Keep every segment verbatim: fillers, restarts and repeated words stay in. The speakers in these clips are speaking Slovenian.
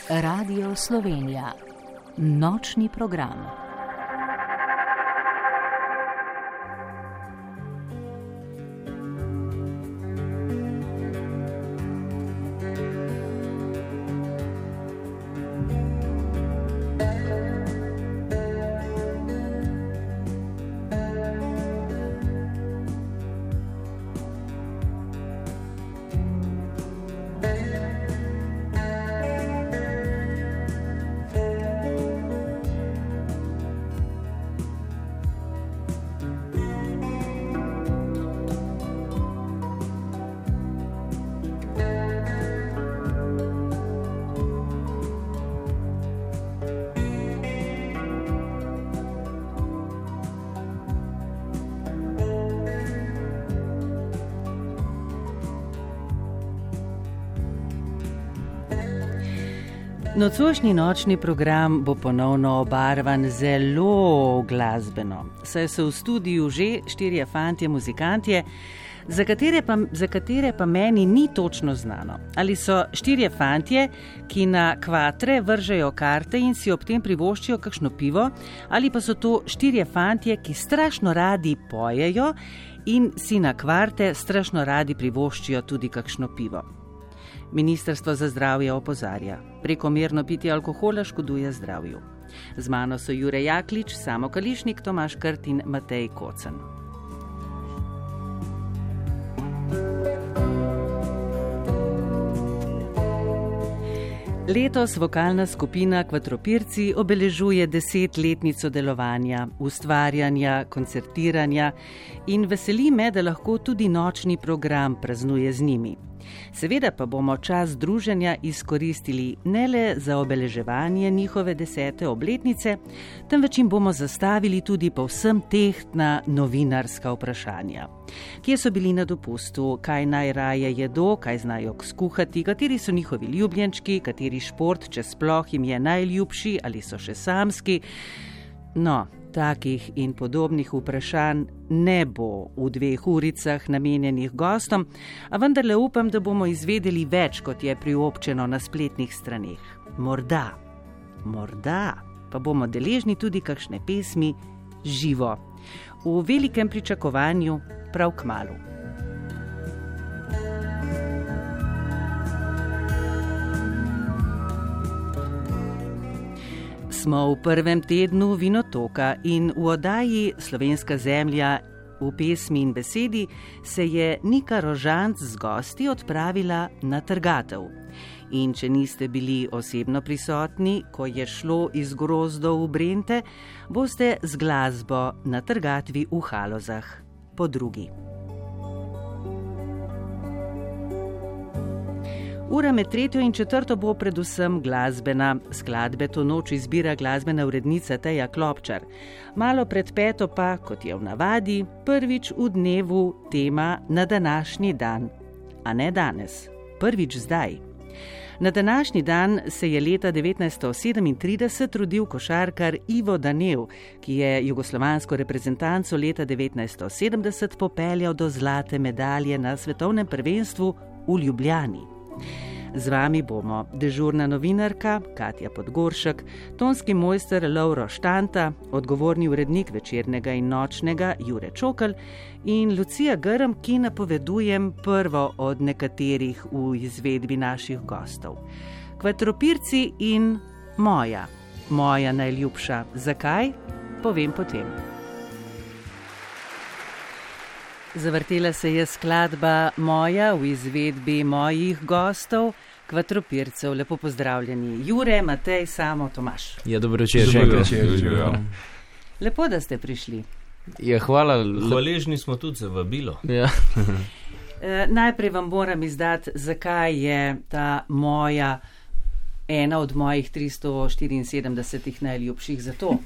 Radio Slovenija. Nočni program. Nocojšnji nočni program bo ponovno obarvan zelo glasbeno, saj so v studiu že štirje fantje muzikantje, za katere pa, za katere pa meni ni točno znano. Ali so štirje fantje, ki na kvatre vržejo karte in si ob tem privoščijo kakšno pivo, ali pa so to štirje fantje, ki strašno radi pojejo in si na kvarte strašno radi privoščijo tudi kakšno pivo. Ministrstvo za zdravje opozarja, prekomerno pitje alkohola škoduje zdravju. Z mano so Jure Jaklič, Samo Kališnik, Tomaž Krt in Matej Kocen. Letos vokalna skupina Kvatropirci obeležuje desetletnico delovanja, ustvarjanja, koncertiranja in veseli me, da lahko tudi nočni program praznuje z njimi. Seveda pa bomo čas druženja izkoristili ne le za obeleževanje njihove desete obletnice, temveč jim bomo zastavili tudi povsem tehtna novinarska vprašanja. Kje so bili na dopustu, kaj najraje jedo, kaj znajo skuhati, kateri so njihovi ljubljenčki, kateri šport, če sploh jim je najljubši ali so še samski. No, takih in podobnih vprašanj ne bo v dveh uricah namenjenih gostom, a vendarle upam, da bomo izvedeli več, kot je priobčeno na spletnih straneh. Morda, morda pa bomo deležni tudi kakšne pesmi živo, v velikem pričakovanju prav kmalu. Smo v prvem tednu Vinotoka in v oddaji Slovenska zemlja v pesmi in besedi se je Nika Rožanc z gosti odpravila na trgatev. In če niste bili osebno prisotni, ko je šlo iz grozdov v Brente, boste z glasbo na trgatvi v Halozah po drugi. Ura med tretjo in četrto bo predvsem glasbena. Skladbe to noč izbira glasbena urednica Teja Klopčar. Malo pred peto pa, kot je v navadi, prvič v dnevu tema na današnji dan. A ne danes, prvič zdaj. Na današnji dan se je leta devetnajststo sedemintrideset rodil košarkar Ivo Danev, ki je jugoslovansko reprezentanco leta devetnajststo sedemdeset popeljal do zlate medalje na svetovnem prvenstvu v Ljubljani. Z vami bomo dežurna novinarka Katja Podgoršek, tonski mojster Lovro Štanta, odgovorni urednik Večernega in nočnega Jure Čokl in Lucija Grm, ki napovedujem prvo od nekaterih v izvedbi naših gostov. Kvatropirci in moja, moja najljubša. Zakaj? Povem potem. Zavrtela se je skladba Moja v izvedbi mojih gostov, Kvatropircev. Lepo pozdravljeni. Jure, Matej, Samo, Tomaž. Ja, dobro večer. Dobro večer. Lepo, da ste prišli. Ja, hvala. Hvaležni smo tudi za vabilo. Ja. e, najprej vam moram izdati, zakaj je ta moja ena od mojih tristo štiriinsedemdesetih najljubših za to.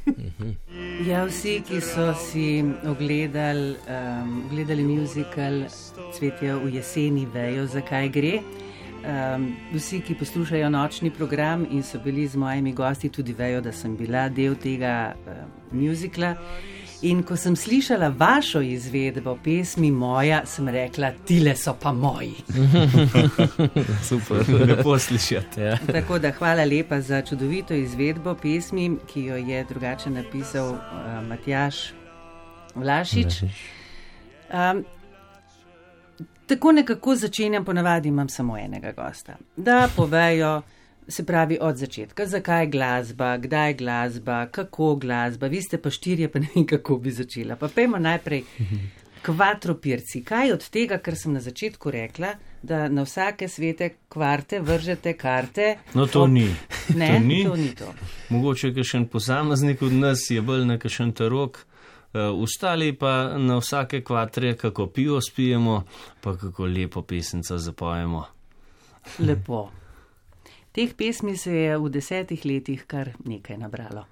Ja, vsi, ki so si ogledali, um, ogledali musical Cvetje v jeseni, vejo, zakaj gre. Um, vsi, ki poslušajo nočni program in so bili z mojimi gosti, tudi vejo, da sem bila del tega uh, musicala. In ko sem slišala vašo izvedbo pesmi Moja, sem rekla, tile so pa moji. Super, lepo slišati. Ja. Tako da hvala lepa za čudovito izvedbo pesmi, ki jo je drugače napisal uh, Matjaž Vlašič. Um, tako nekako začenjam, ponavadi imam samo enega gosta, da povejo, se pravi od začetka, zakaj glasba, kdaj glasba, kako glasba, vi ste pa štirje, pa ne vem, kako bi začela. Pa pejmo najprej Kvadropirci. Kaj od tega, kar sem na začetku rekla, da na vsake svete kvarte vržete karte? No, to ob... ni. Ne, to ni. To ni to. Mogoče kakšen posameznik od nas je bolj na kakšen tarok, uh, ostali pa na vsake kvatre, kako pivo spijemo, pa kako lepo pesenco zapojemo. Lepo. Teh pesmi se je v desetih letih kar nekaj nabralo.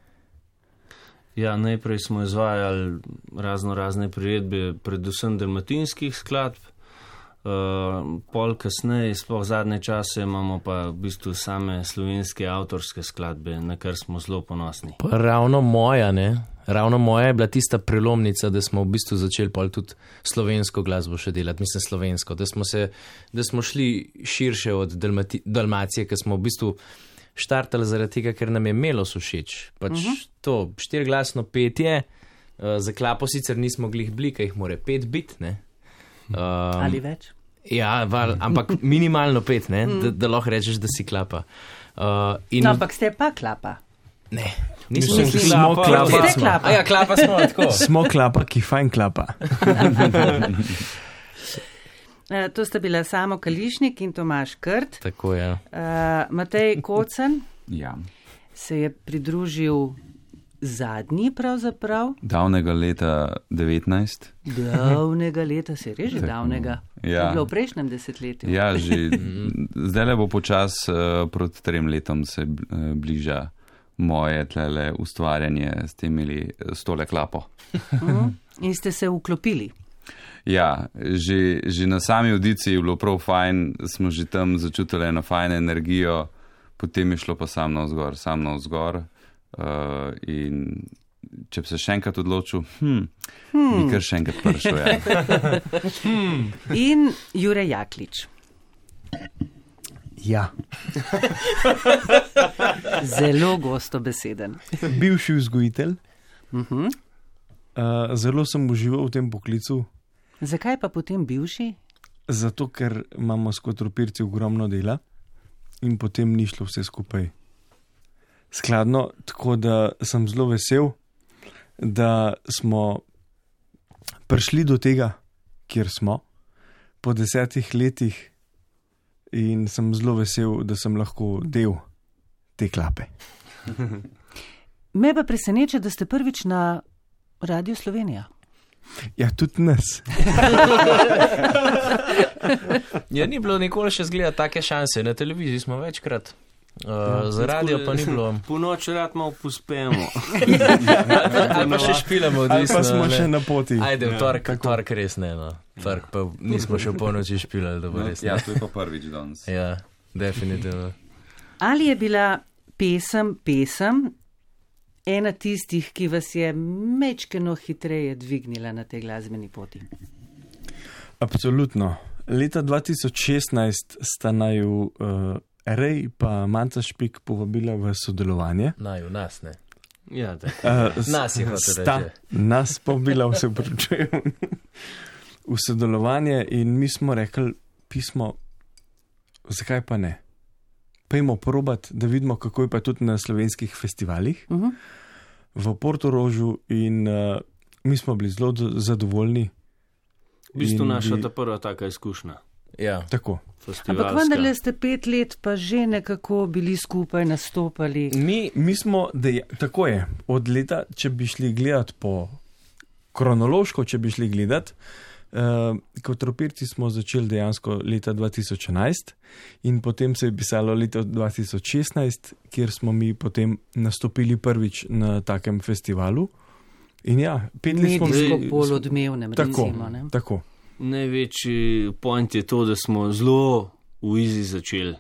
Ja, najprej smo izvajali razno razne priredbe, predvsem dalmatinskih skladb, uh, pol kasneje, sploh zadnje čase, imamo pa v bistvu same slovenske avtorske skladbe, na kar smo zelo ponosni. Pa ravno moja, ne? Ravno moja je bila tista prelomnica, da smo v bistvu začeli pol tudi slovensko glasbo še delati, mislim slovensko, da smo, se, da smo šli širše od Dalmati, Dalmacije, ker smo v bistvu štartali zaradi tega, ker nam je melos všeč. Pač uh-huh. to štirglasno petje, uh, za klapo sicer nismo glih bili, kaj jih more pet bit, ne? Um, Ali več? Ja, val, ampak minimalno pet, ne? Da, da lahko rečeš, da si klapa. Uh, in... No, ampak ste pa klapa. Ne, nismo nismo smo klapa. Ste klapa. Ja, klapa smo tako. Smo klapa, ki fajn klapa. Uh, to sta bila Samo Kališnik in Tomaž Krt. Tako je. Uh, Matej Kocen Ja. se je pridružil zadnji pravzaprav. Davnega leta devetnajst. Davnega leta, se je res že davnega. Ja. Je bilo v prejšnjem desetletju. Ja, že zdaj le bo počas uh, proti trem letom se uh, bliža moje tlele ustvarjanje s temili s tole klapo. Uh-huh. In ste se vklopili. Ja, že, že na sami audiciji je bilo prav fajn, smo že tam začutili eno fajno energijo, potem je šlo pa sam navzgor, sam navzgor. Uh, in če bi se še enkrat odločil, hm, hmm. bi kar še enkrat prišel. Ja. hmm. In Jure Jaklič. Ja. Zelo gostobeseden. Bivši vzgojitelj. Uh-huh. Uh, zelo sem užival v tem poklicu. Zakaj pa potem bivši? Zato, ker imamo s Kvadropirci ogromno dela in potem ni šlo vse skupaj skladno, tako da sem zelo vesel, da smo prišli do tega, kjer smo, po desetih letih in sem zelo vesel, da sem lahko del te klape. Me pa preseneča, da ste prvič na Radiu Slovenija. Ja, tudi nas. Ja, ni bilo nikoli še zgleda take šanse, na televiziji smo večkrat. Uh, ja, za radio pa ni bilo. Po noči rad malo pospemo. Ali pa še špilamo, ali pa smo še na poti. Ajde, v tork, ja, tork res ne, no. Tork pa nismo še po noči špilali, da bo res ne. Ja, to je pa prvič danes. Ja, definitivno. Ali je bila pesem, pesem, ena tistih, ki vas je mečkeno hitreje dvignila na tej glasbeni poti? Absolutno. Leta dva tisoč šestnajst sta naju uh, Rej pa Manca Špik povabila v sodelovanje. Naju, nas ne. Ja, uh, nas je hotel reči. Nas povabila, vse upravičujem, v sodelovanje in mi smo rekli pismo, zakaj pa ne? Pejmo probat, da vidimo, kako je pa tudi na slovenskih festivalih. Uh-huh. V Portorožu in uh, mi smo bili zelo zadovoljni. V bistvu naša ta prva taka izkušnja. Ja, tako. Ampak vendarle ste pet let pa že nekako bili skupaj, nastopali. Mi, mi smo, da je, tako je, od leta, če bi šli gledati po kronološko, če bi šli gledati, uh, Kvadropirci smo začeli dejansko leta dva tisoč enajst in potem se je pisalo leto dva tisoč šestnajst, kjer smo mi potem nastopili prvič na takem festivalu. In ja, pet let smo bili bolj odmevnem, tako, recimo. Ne? Tako. Največji point je to, da smo zelo v izi začeli.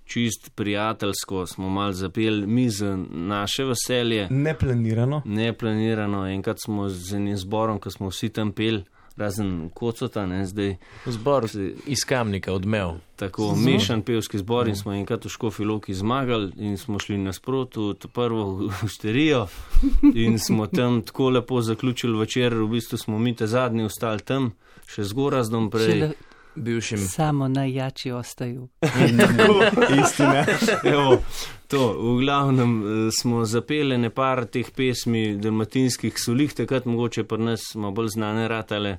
čist prijateljsko, smo mal zapeli mi za naše veselje. Neplanirano. Neplanirano. Enkrat smo z enim zborom, ko smo vsi tam peli, razen Kocota, ne, zdaj. Zbor iz Kamnika, Odmev. Tako, mešan pevski zbor in smo enkrat v Škofji Loki zmagali in smo šli nasprotno v prvo hosterijo in smo tam tako lepo zaključili večer, v bistvu smo mi te zadnji ostali tam, še z gorazdom prej. Bivšim. Samo najjači ostaju. Tako, istina. Evo, to, v glavnem smo zapeli nepar teh pesmi dalmatinskih solih, takrat mogoče pri nas smo bolj znane ratale,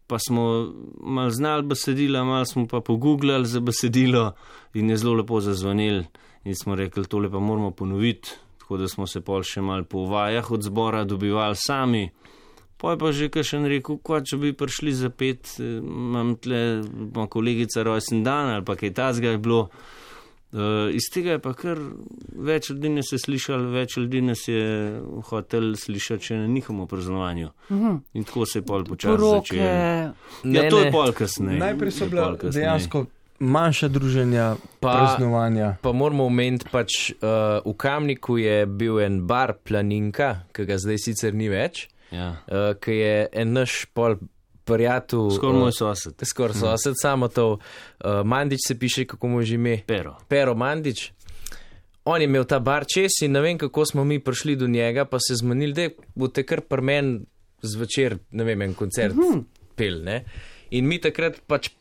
pa smo mal znali besedila, mal smo pa pogooglali za besedilo in je zelo lepo zazvonili in smo rekli, tole pa moramo ponoviti, tako da smo se pol še mal po vajah od zbora dobivali sami. Poj pa že kakšen rekel, kva, če bi prišli za pet, imam tle, imam kolegica rojsten dan ali pa kaj tazga je bilo. Uh, iz tega je pa kar več ljudi nas je slišali, več ljudi nas je hotel slišati še na njihovem praznovanju. Uh-huh. In tako se je pol počasi začelo. Ja, ne, to ne. je pol kasneje. Najprej so bila dejansko manjša druženja, pa, praznovanja. Pa moramo omeniti, pač uh, v Kamniku je bil en bar Planinka, ki ga zdaj sicer ni več. Ja. Uh, ki je en naš pol prijatelj. Skoraj moj sosed. Skoraj sosed, hmm. samo to. Uh, Mandič se piše, kako mu že ime? Pero. Pero Mandič. On je imel ta bar čez in ne vem, kako smo mi prišli do njega, pa se zmanili, da boste kar pri meni zvečer, ne vem, en koncert hmm. pel, ne. In mi takrat pač,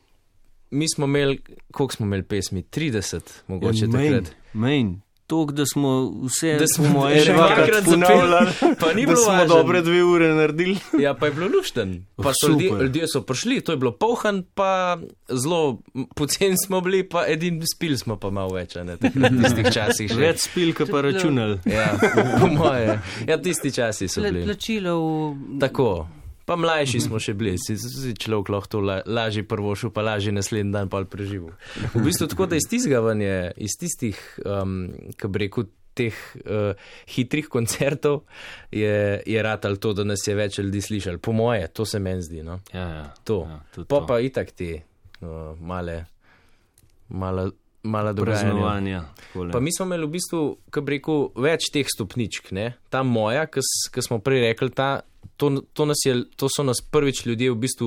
mi smo imeli, koliko smo imeli pesmi? trideset, mogoče ja, takrat. Mejn. Tok, da smo vse, da smo moje dvakrat ponavljali, pa ni bilo važno. Da smo dobre dve ure naredili. Ja, pa je bilo lušten. Pa so ljudje, ljudje so prišli, to je bilo polhan, pa zelo poceni smo bili, pa edin spil smo pa malo več, ne, takrat tistih časih še. Več spil, ka pa računali. Ja, po moje. Ja, tisti časi so bili. Plačilo v... Tako. Pa mlajši smo še bili, si, si človek lahko to la, lažje prvošil, pa lažje naslednji dan pa preživel. V bistvu tako, da iz tizgavanje, iz tistih, um, kaj bi rekel, teh uh, hitrih koncertov je, je ratal to, da nas je več ljudi slišali. Po moje, to se meni zdi, no. Ja, ja. To. Ja, pa pa itak te uh, male, mala, mala dogajanja. Pa mi smo imeli v bistvu, kaj bi rekel, več teh stopničk, ne. Ta moja, ki smo prej rekli, ta To, to, nas je, to so nas prvič ljudje v bistvu,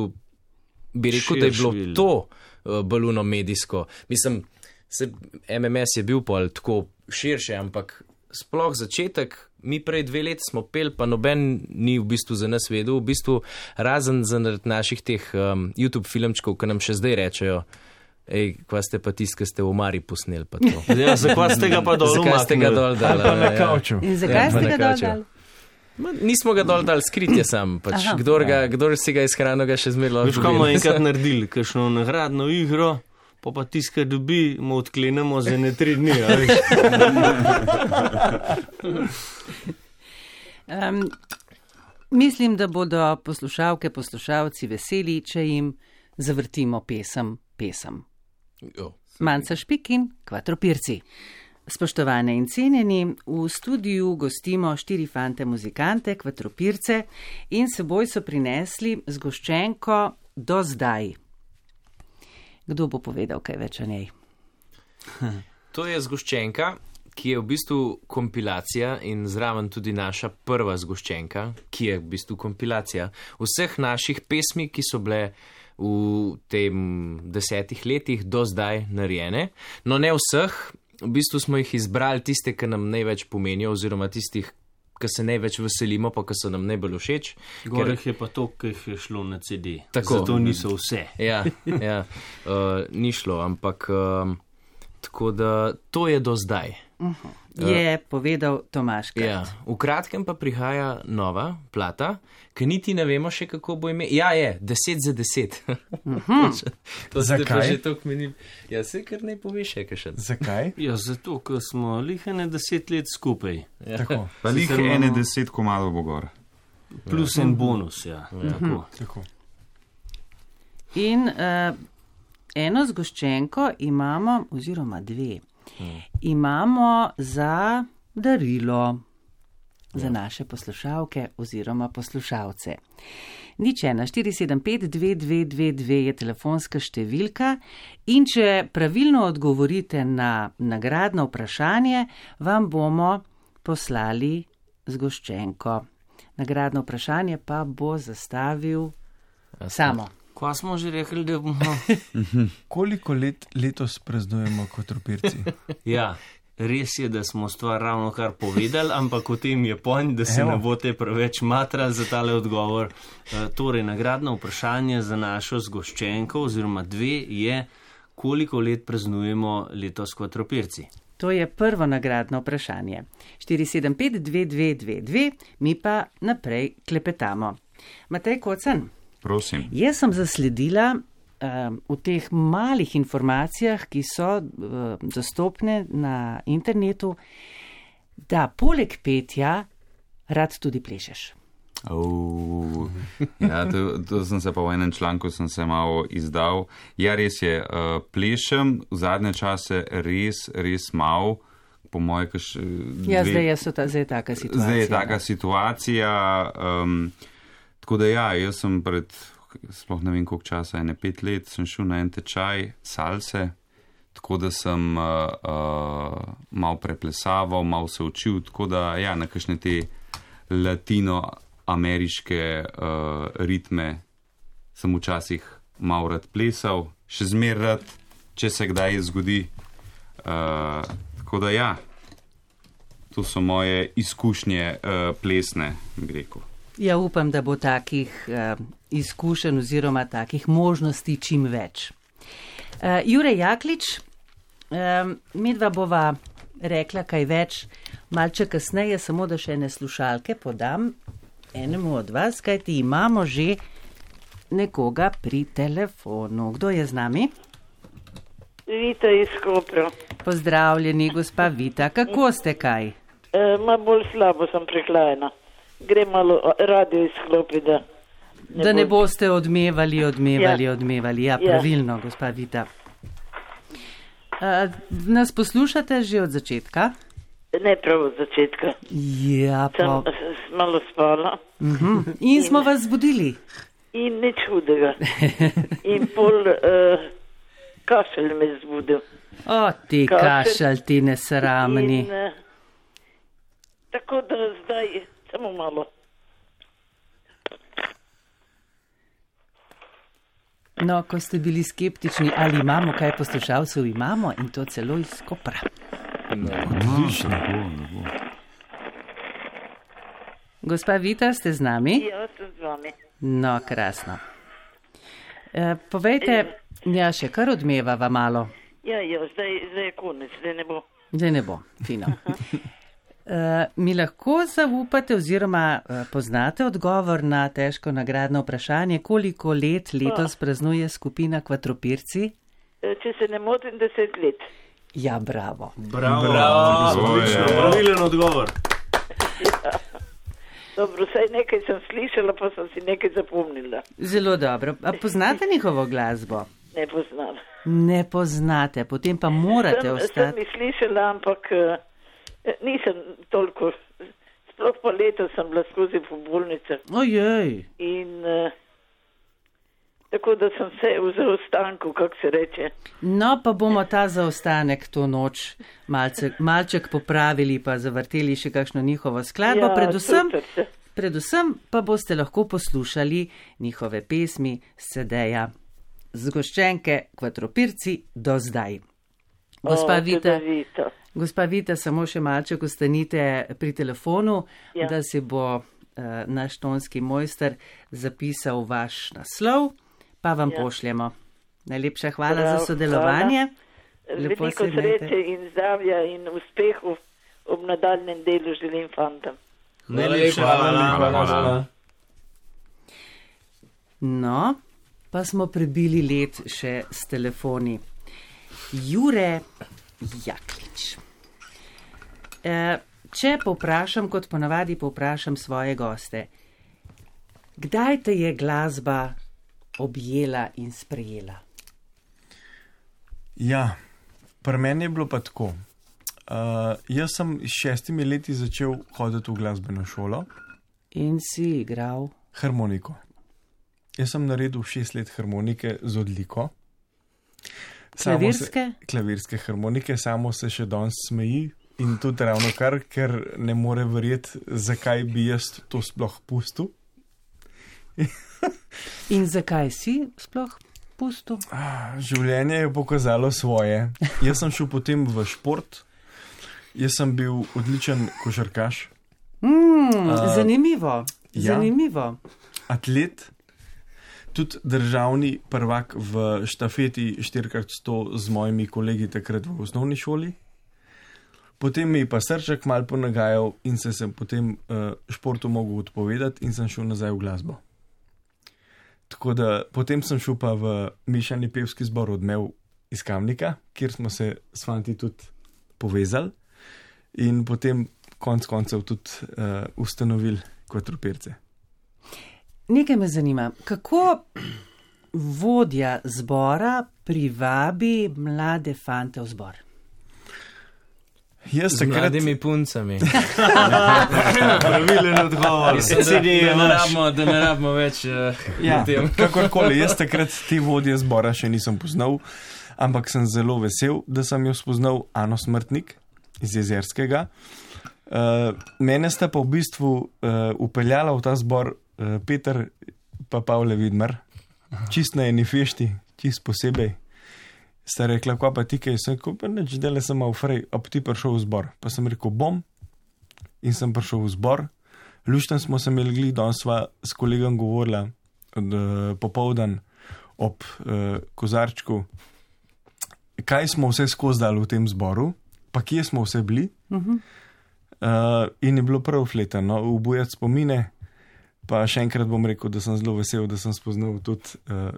bi rekel, da je bilo to uh, baluno medijsko. Mislim, se, M M S je bil pol tako širše, ampak sploh začetek, mi prej dve leti smo pel, pa noben ni v bistvu za nas vedel, v bistvu razen za naših teh um, YouTube filmčkov, ki nam še zdaj rečejo, ej, kva ste pa tisti, ki ste v Mari posneli pa to. Ja, zakaj ste ga pa dol umaknili? Zakaj ste ga dol dali? Ali pa na kavču. In zakaj ja, ste ga dol dali? Ma, nismo ga dol dal, skrit je sam, pač kdor, ga, kdor si ga izhrano, ga še zmerilo. Veš, kaj bomo enkrat naredili, kakšno nagradno igro, pa pa tiska dobi, mu odklenemo za ne tri dni, a veš. um, mislim, da bodo poslušalke, poslušalci veseli, če jim zavrtimo pesem, pesem. Manca Špik in Kvadropirci. Spoštovane in cenjeni, v studiu gostimo štiri fante muzikante, Kvadropirce, in seboj so prinesli zgoščenko Do zdaj. Kdo bo povedal kaj več o njej? To je zgoščenka, ki je v bistvu kompilacija in zraven tudi naša prva zgoščenka, ki je v bistvu kompilacija vseh naših pesmi, ki so bile v tem desetih letih do zdaj narejene. No, ne vseh. V bistvu smo jih izbrali tiste, ki nam največ pomenijo, oziroma tistih, ki se največ veselimo, pa ki so nam najbolj všeč. Gore ker... je pa to, ki jih je šlo na C D. Tako. Zato niso vse. Ja, ja. Uh, ni šlo, ampak uh, tako da to je do zdaj. Uh-huh. Je uh, povedal Tomaž Krat. Ja, v kratkem pa prihaja nova plata, ki niti ne vemo še, kako bo ime. Ja, je, deset za deset. Uh-huh. To se pa že toliko meni. Ja, se kar ne poveš še kakšen. Zakaj? Ja, zato, ker smo lihene deset let skupaj. Ja. Tako. Pa lihene deset komadov bo gor. Plus ja. En bonus, ja. ja. Tako. Tako. In uh, eno zgoščenko imamo, oziroma dve, hmm. imamo za darilo. Za naše poslušalke oziroma poslušalce. Nič ena, štiri sedem pet dve dve dve dve je telefonska številka in če pravilno odgovorite na nagradno vprašanje, vam bomo poslali zgoščenko. Nagradno vprašanje pa bo zastavil Samo. Kva smo že rekli, da bomo? Koliko let letos praznujemo Kvadropirci? Ja. Res je, da smo stvar ravno kar povedali, ampak o tem je point, da se Evo. ne boste preveč matrali za tale odgovor. E, torej, nagradno vprašanje za našo zgoščenko oziroma dve je, koliko let praznujemo letos Kvadropirci. To je prvo nagradno vprašanje. štiri sedem pet dve dve dve dve, mi pa naprej klepetamo. Matej Kocan, Prosim. jaz sem zasledila v teh malih informacijah, ki so dostopne na internetu, da poleg petja rad tudi plešeš. Uh, ja, to, to sem se pa v enem članku sem se malo izdal. Ja, res je, uh, plešem v zadnje čase res, res malo, po moje, kaš... Ja, zdaj je, so ta, zdaj je taka situacija. Zdaj je taka situacija, um, tako da ja, jaz sem pred... sploh ne vem koliko časa, ene pet let, sem šel na en tečaj salse, tako da sem uh, uh, malo preplesaval, malo se učil, tako da ja, na kakšne te latinoameriške uh, ritme sem včasih malo rad plesal, še zmer rad, če se kdaj zgodi. Uh, tako da ja, to so moje izkušnje uh, plesne, bi rekel. Ja, upam, da bo takih uh, izkušenj oziroma takih možnosti čim več. Uh, Jure Jaklič, um, midva bova rekla kaj več malce kasneje, samo da še ene slušalke podam enemu od vas, kajti imamo že nekoga pri telefonu. Kdo je z nami? Vita iz Kopra. Pozdravljeni, gospa Vita. Kako ste kaj? E, ma bolj slabo sem prehlajena. Gre malo radio izklopi, da ne, da ne bo... boste odmevali, odmevali, ja. odmevali. Ja, pravilno, ja. Gospa Vita. Uh, nas poslušate že od začetka? Ne prav od začetka. Ja, pa... Sem malo spala. Uh-huh. In smo vas zbudili? In nič hudega. In pol uh, kašelj me zbudil. O, ti kašelj, ti nesramni. In, uh, tako da zdaj... Samo malo. No, ko ste bili skeptični, ali imamo kaj poslušalcev, imamo in to celo iz Kopra. Odlično. Gospa Vita, ste z nami? Ja, sem z vami. No, krasno. E, povejte, ja, še kar odmevava malo. Ja, ja, zdaj, zdaj je konec, zdaj ne bo. Zdaj ne bo, fino. Uh, mi lahko zaupate oziroma uh, poznate odgovor na težko nagradno vprašanje, koliko let letos praznuje skupina Kvadropirci? Če se ne motim, deset let. Ja, bravo. Bravo, bravo. Odlično, pravilen odgovor. Ja. Dobro, saj nekaj sem slišala, pa sem si nekaj zapomnila. Zelo dobro. A poznate njihovo glasbo? Ne poznam. Ne poznate, potem pa morate sem, ostati. Sem mi slišala, ampak... Uh, Nisem toliko, sploh pa leto sem bila skozi po bolnicah. Ojej. In uh, tako da sem se v zaostanku, kako se reče. No, pa bomo ta zaostanek to noč malce, malček popravili, pa zavrteli še kakšno njihovo skladbo. Ja, predvsem, predvsem pa boste lahko poslušali njihove pesmi s cedeja Zgoščenke Kvadropirci do zdaj. Gospa O, Vita. Vita. Gospa Vita, samo še malček ostanite pri telefonu, ja. Da si bo uh, naš tonski mojster zapisal vaš naslov, pa vam ja. pošljemo. Najlepša hvala Prav, za sodelovanje. Veliko sreče in zdravja in uspehu ob nadaljnem delu želim fantom. Najlepša hvala. hvala, hvala. No, pa smo prebili let še s telefoni. Jure Jaklič. E, če povprašam, kot ponavadi povprašam svoje goste, kdaj te je glasba objela in sprejela? Ja, pri meni je bilo pa tako. Uh, jaz sem s šestimi leti začel hoditi v glasbeno šolo. In si igral? Harmoniko. Jaz sem naredil šest let harmonike z odliko. Klavirske? Se, klavirske harmonike, samo se še danes smeji in tudi ravno kar, ker ne more verjeti, zakaj bi jaz to sploh pustil. In zakaj si sploh pustil? Življenje je pokazalo svoje. Jaz sem šel potem v šport, jaz sem bil odličen košarkaš. Mm, uh, zanimivo, ja. zanimivo. Atlet, tudi državni prvak v štafeti štiri krat sto z mojimi kolegi takrat v osnovni šoli. Potem mi je pa srček mal ponagajal in se sem potem uh, športu mogel odpovedati in sem šel nazaj v glasbo. Tako da potem sem šel pa v mešani pevski zbor Odmev iz Kamnika, kjer smo se s fanti tudi povezali in potem konc koncev tudi uh, ustanovili Kvadropirce. Nekaj me zanima, kako vodja zbora privabi mlade fante v zbor? Z takrat... mladimi puncami. Pravilen odgovor. Da ne rabimo, da ne rabimo več uh, ja, tem. Kakorkoli, jaz takrat te vodje zbora še nisem poznal, ampak sem zelo vesel, da sem jo spoznal Ano Smrtnik iz Jezerskega. Uh, mene sta pa v bistvu uh, upeljala v ta zbor uh, Peter pa Pavle Vidmar, čist na eni fešti, čist posebej. Sta rekla, kva pa ti kaj, sem rekel, pa neč dele sem malo frej, a pa ti prišel v zbor. Pa sem rekel, bom, in sem prišel v zbor. Lušten smo se imeli gli, danes sva s kolegom govorila od uh, popoldan ob uh, kozarčku, kaj smo vse skozi dali v tem zboru, pa kje smo vse bili. Uh-huh. Uh, in je bilo prav fletano, ubujati spomine, pa še enkrat bom rekel, da sem zelo vesel, da sem spoznal tudi... Uh,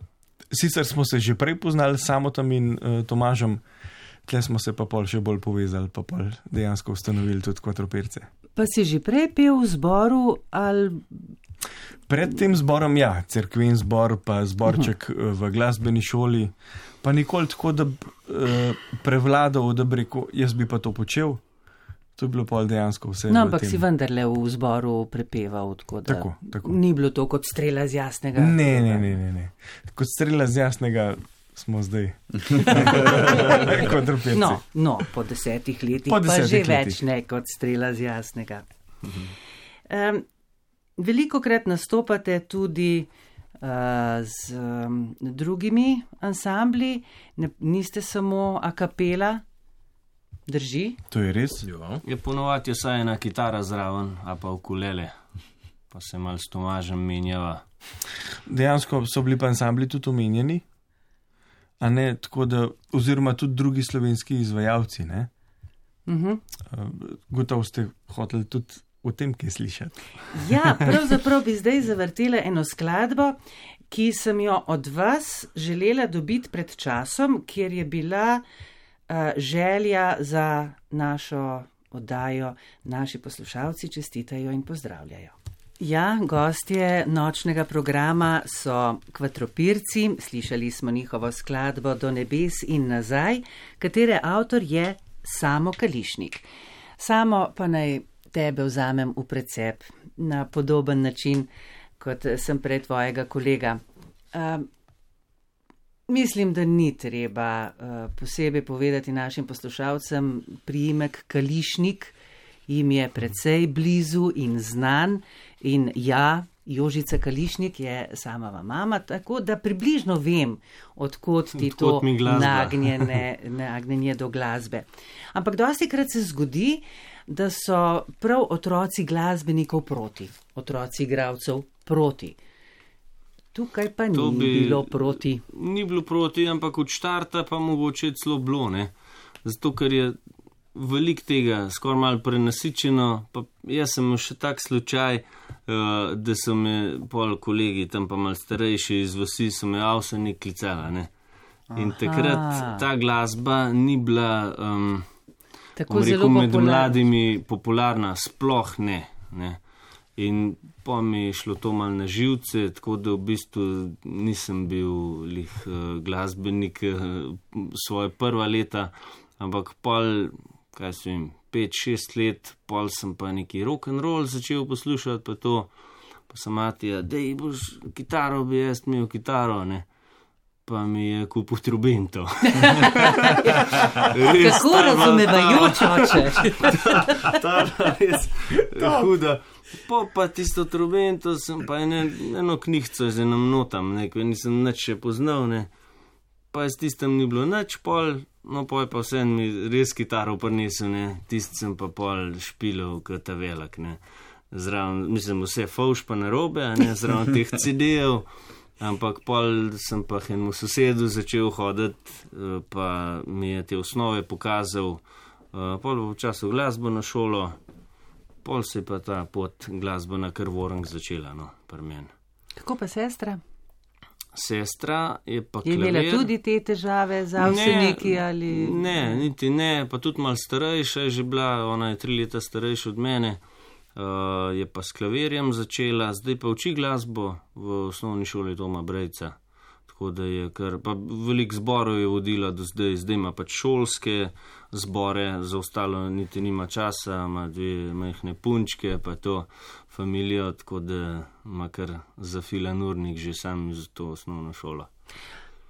Sicer smo se že prej poznali s Samotom in uh, Tomažem, tle smo se pa pol še bolj povezali, pa pol dejansko ustanovili tudi Kvadropirce. Pa si že prej pel v zboru ali... Pred tem zborom, ja, cerkven zbor, pa zborček uh-huh. v glasbeni šoli, pa nikoli tako, da bi uh, prevladal, da bi rekel, jaz bi pa to počel. To je bilo pol dejansko vse. No, ampak si vendarle v zboru prepeval, tako da tako, tako. Ni bilo to kot strela z jasnega. Ne, ne, ne, ne, ne. Kot strela z jasnega smo zdaj. no, no, po desetih letih po pa desetih že letih. več ne kot strela z jasnega. Um, velikokrat nastopate tudi uh, z um, drugimi ansambli, ne, niste samo a capella. Drži? To je res? Jo. Je ponovati vsaj ena kitara zraven, a pa ukulele, pa se mal s Tomažem menjava. Dejansko so bili pa ansambli tudi omenjeni, a ne, tako da, oziroma tudi drugi slovenski izvajalci, ne? Uh-huh. Gotovo ste hoteli tudi o tem, kaj slišati. Ja, pravzaprav bi zdaj zavrtela eno skladbo, ki sem jo od vas želela dobiti pred časom, kjer je bila Uh, želja za našo oddajo, naši poslušalci čestitajo in pozdravljajo. Ja, gostje nočnega programa so Kvadropirci, slišali smo njihovo skladbo Do nebes in nazaj, katere avtor je Samo Kališnik. Samo pa naj tebe vzamem v precep na podoben način, kot sem pred tvojega kolega. Uh, Mislim, da ni treba uh, posebej povedati našim poslušalcem, priimek Kališnik jim je precej blizu in znan in ja, Jožica Kališnik je samava mama, tako da približno vem, odkot ti Odkot to nagnjene, nagnjenje do glasbe. Ampak dostikrat se zgodi, da so prav otroci glasbenikov proti, otroci igralcev proti. Tukaj pa ni bi, bilo proti. Ni bilo proti, ampak od štarta pa mogoče celo bilo, ne. Zato, ker je veliko tega, skoraj malo prenasičeno, pa jaz sem še tak slučaj, uh, da so me pol kolegi, tam pa malo starejši iz vasi, so me avseni klicala, ne. In Aha. takrat ta glasba ni bila, um, Tako rekel, zelo med popularna. mladimi popularna, sploh ne, ne. In pa mi je šlo to mal na živce, tako da v bistvu nisem bil lih uh, glasbenik uh, svoje prva leta, ampak pol, kaj sem, pet, šest let, pol sem pa neki rock and roll začel poslušati, pa to, Pa sem mati, da boš kitaro, bi jaz imel kitaro, ne. Pa mi je kupil trubento. Kako razumevajoč oče. Ta je res huda. Po pa tisto trubento sem pa ene, eno knjihco z enom notam, nekaj nisem nič še poznal, ne. Pa je s tistem ni bilo nič pol, no pol pa vse mi res kitaro prinesel, ne. Tist sem pa pol špilov kot ta velak, ne. Zraven, mislim, vse fauš pa narobe, a ne, zraven teh C D-jev. Ampak pol sem pa enemu sosedu začel hoditi, pa mi je te osnove pokazal, pol v času glasbeno šolo, pol se je pa ta pot glasbena kar vorank začela, no, pri meni. Kako pa sestra? Sestra je pa je klavir. Je imela tudi te težave z avseniki ali? Ne, niti ne, pa tudi malo starejša je že bila, ona je tri leta starejša od mene. Uh, je pa s klavirjem začela, zdaj pa uči glasbo v osnovni šoli Toma Brejca. Tako da je kar, pa veliko zborov je vodila do zdaj, zdaj ima pač šolske zbore, za ostalo niti nima časa, ima dve majhne punčke, pa to familijo, tako da ima kar zafilan urnik že sam za to osnovno šolo.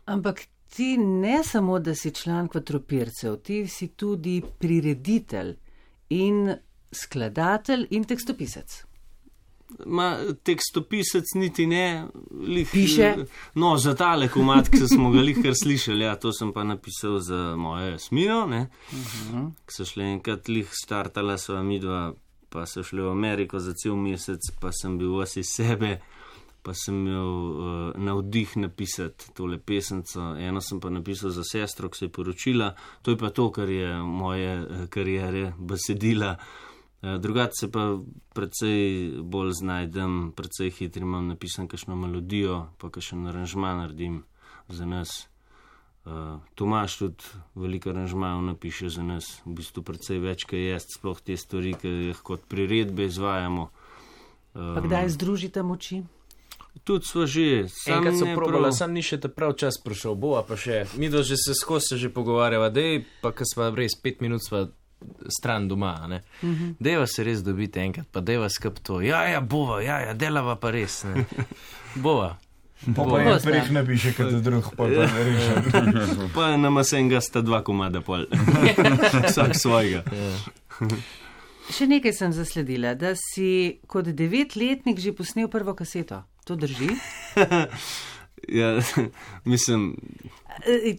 Ampak ti ne samo, da si član Kvadropircev, ti si tudi prireditelj in skladatelj in tekstopisec. Ma, tekstopisec niti ne, lih, piše. No, za tale komad, ki smo ga lih kar slišali, ja, to sem pa napisal za mojo Jasmino, ne, uh-huh. Ki so šli enkrat lih startala sva midva, pa so šli v Ameriko za cel mesec, pa sem bil vsi sebe, pa sem imel uh, navdih napisati tole pesemco, eno sem pa napisal za sestro, ki se je poročila, to je pa to, kar je moje kariere besedila. Drugače se pa precej bolj znajdem, precej hitri imam napisan kakšno melodijo, pa kakšen aranžma naredim za nas. Uh, Tomaž tudi veliko aranžmajev napiše za nas, v bistvu precej več, kaj jest, sploh te stvari, ki jih kot priredbe izvajamo. Um, pa kdaj združite moči? Tudi sva že. Enkrat so probala, sam ni še ta prav čas prišel, bova pa še, mi do že se skozi se že pogovarjava, dej, pa ko sva res pet minut sva stran doma, ne. Uh-huh. Dejva se res dobiti enkrat, pa dejva skup to. Ja, ja, bova, ja, ja, delava pa res, ne. Bova. Pa pa en preh napiše, kot drug, pa pa ne rešem. Pa nama se enega sta dva komada pol. Vsak svojega. Še nekaj sem zasledila, da si kot devetletnik že posnel prvo kaseto. To drži? Ja, mislim...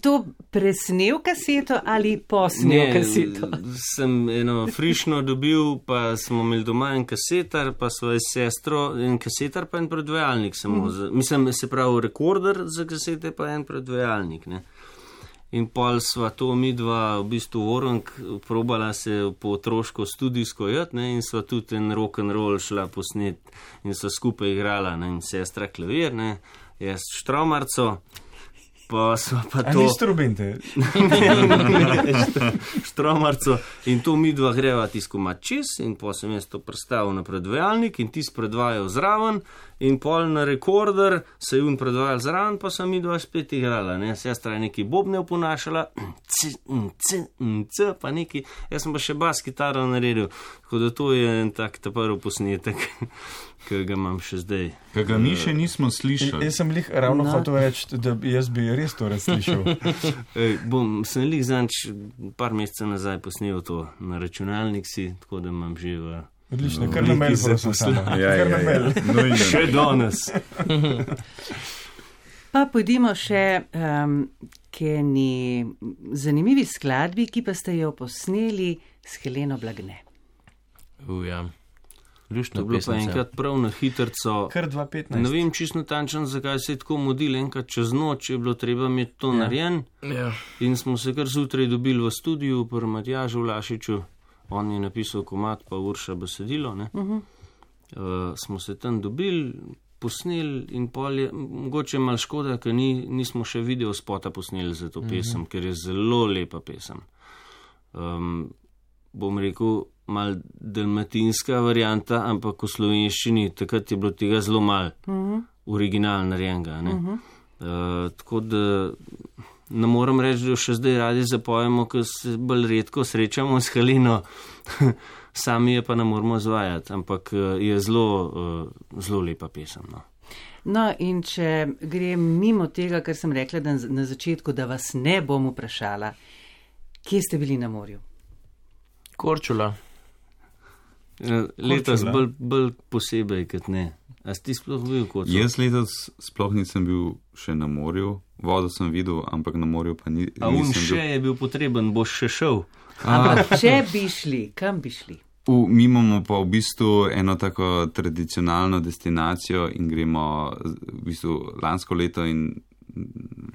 To presnel kaseto ali posnel ne, kaseto? Sem eno frišno dobil, pa smo imeli doma en kasetar, pa svojo sestro, en kasetar pa en predvajalnik samo. Mm. Za, mislim, se pravi rekorder za kasete, pa en predvajalnik, ne. In pol sva to midva v bistvu vorank probala se po otroško studijsko jat, ne, in sva tudi en rock'n'roll šla posnet in sva skupaj igrala, ne, in sestra klavir, ne, jaz štromarco. Pa sva pa to... A ni strubente? Štromarco. In to midva greva tiskomad čez in pa sem jaz to predstavil na predvajalnik in tis predvajal zraven in pol na rekorder se je un predvajal zraven, pa sem midva spet igrala, ne. Sestra je neki bobne oponašala, c, c, c, pa neki, jaz sem pa še bas kitaro naredil, tako da to je en tak ta prvi posnetek, ki ga imam še zdaj. Ki ga mi še nismo slišali. Jaz sem lih ravno no. hotel reči, da jaz bi res to razslišal. Ej, bom, sem lih zanč par mesecev nazaj posnel to na računalnik si, tako da imam že v... Odlično, kar na mail prosim sama. Ja, kar ja, na mail. No, še danes. Pa pojdimo še um, k eni zanimivi skladbi, ki pa ste jo posneli s Heleno Blagne. Uja. To je bilo pa enkrat prav na hitrco. Kar dva petnajst. Ne vem čisto natančno, zakaj se je tako modil, enkrat čez noč je bilo treba imeti to ja. narejen. Ja. In smo se kar zjutraj dobili v studiu pri Matjažu Vlašiču. On je napisal komad, pa Urša besedilo. Uh-huh. Uh, smo se tam dobili, posneli in pol je, mogoče malo škoda, ker ni, nismo še video spota posneli za to uh-huh. pesem, ker je zelo lepa pesem. Um, bom rekel, mal dalmatinska varianta, ampak v slovenščini takrat je bilo tega zelo mal uh-huh. original narejenega. Uh-huh. Uh, tako da ne morem reči, da še zdaj radi zapojemo, ker se bolj redko srečamo s Halino, sami je pa ne moramo izvajati, ampak je zelo, zelo lepa pesem. No. No, in če grem mimo tega, kar sem rekla da na začetku, da vas ne bom vprašala, kje ste bili na morju? Korčula. Letos bolj, bolj posebej, kot ne. A si ti sploh bil kot? Jaz letos sploh nisem bil še na morju, vodo sem videl, ampak na morju pa ni, A nisem bil. A un še je bil potreben, boš še šel. Ampak če bi šli, kam bi šli? V, mi imamo pa v bistvu eno tako tradicionalno destinacijo in gremo v bistvu lansko leto in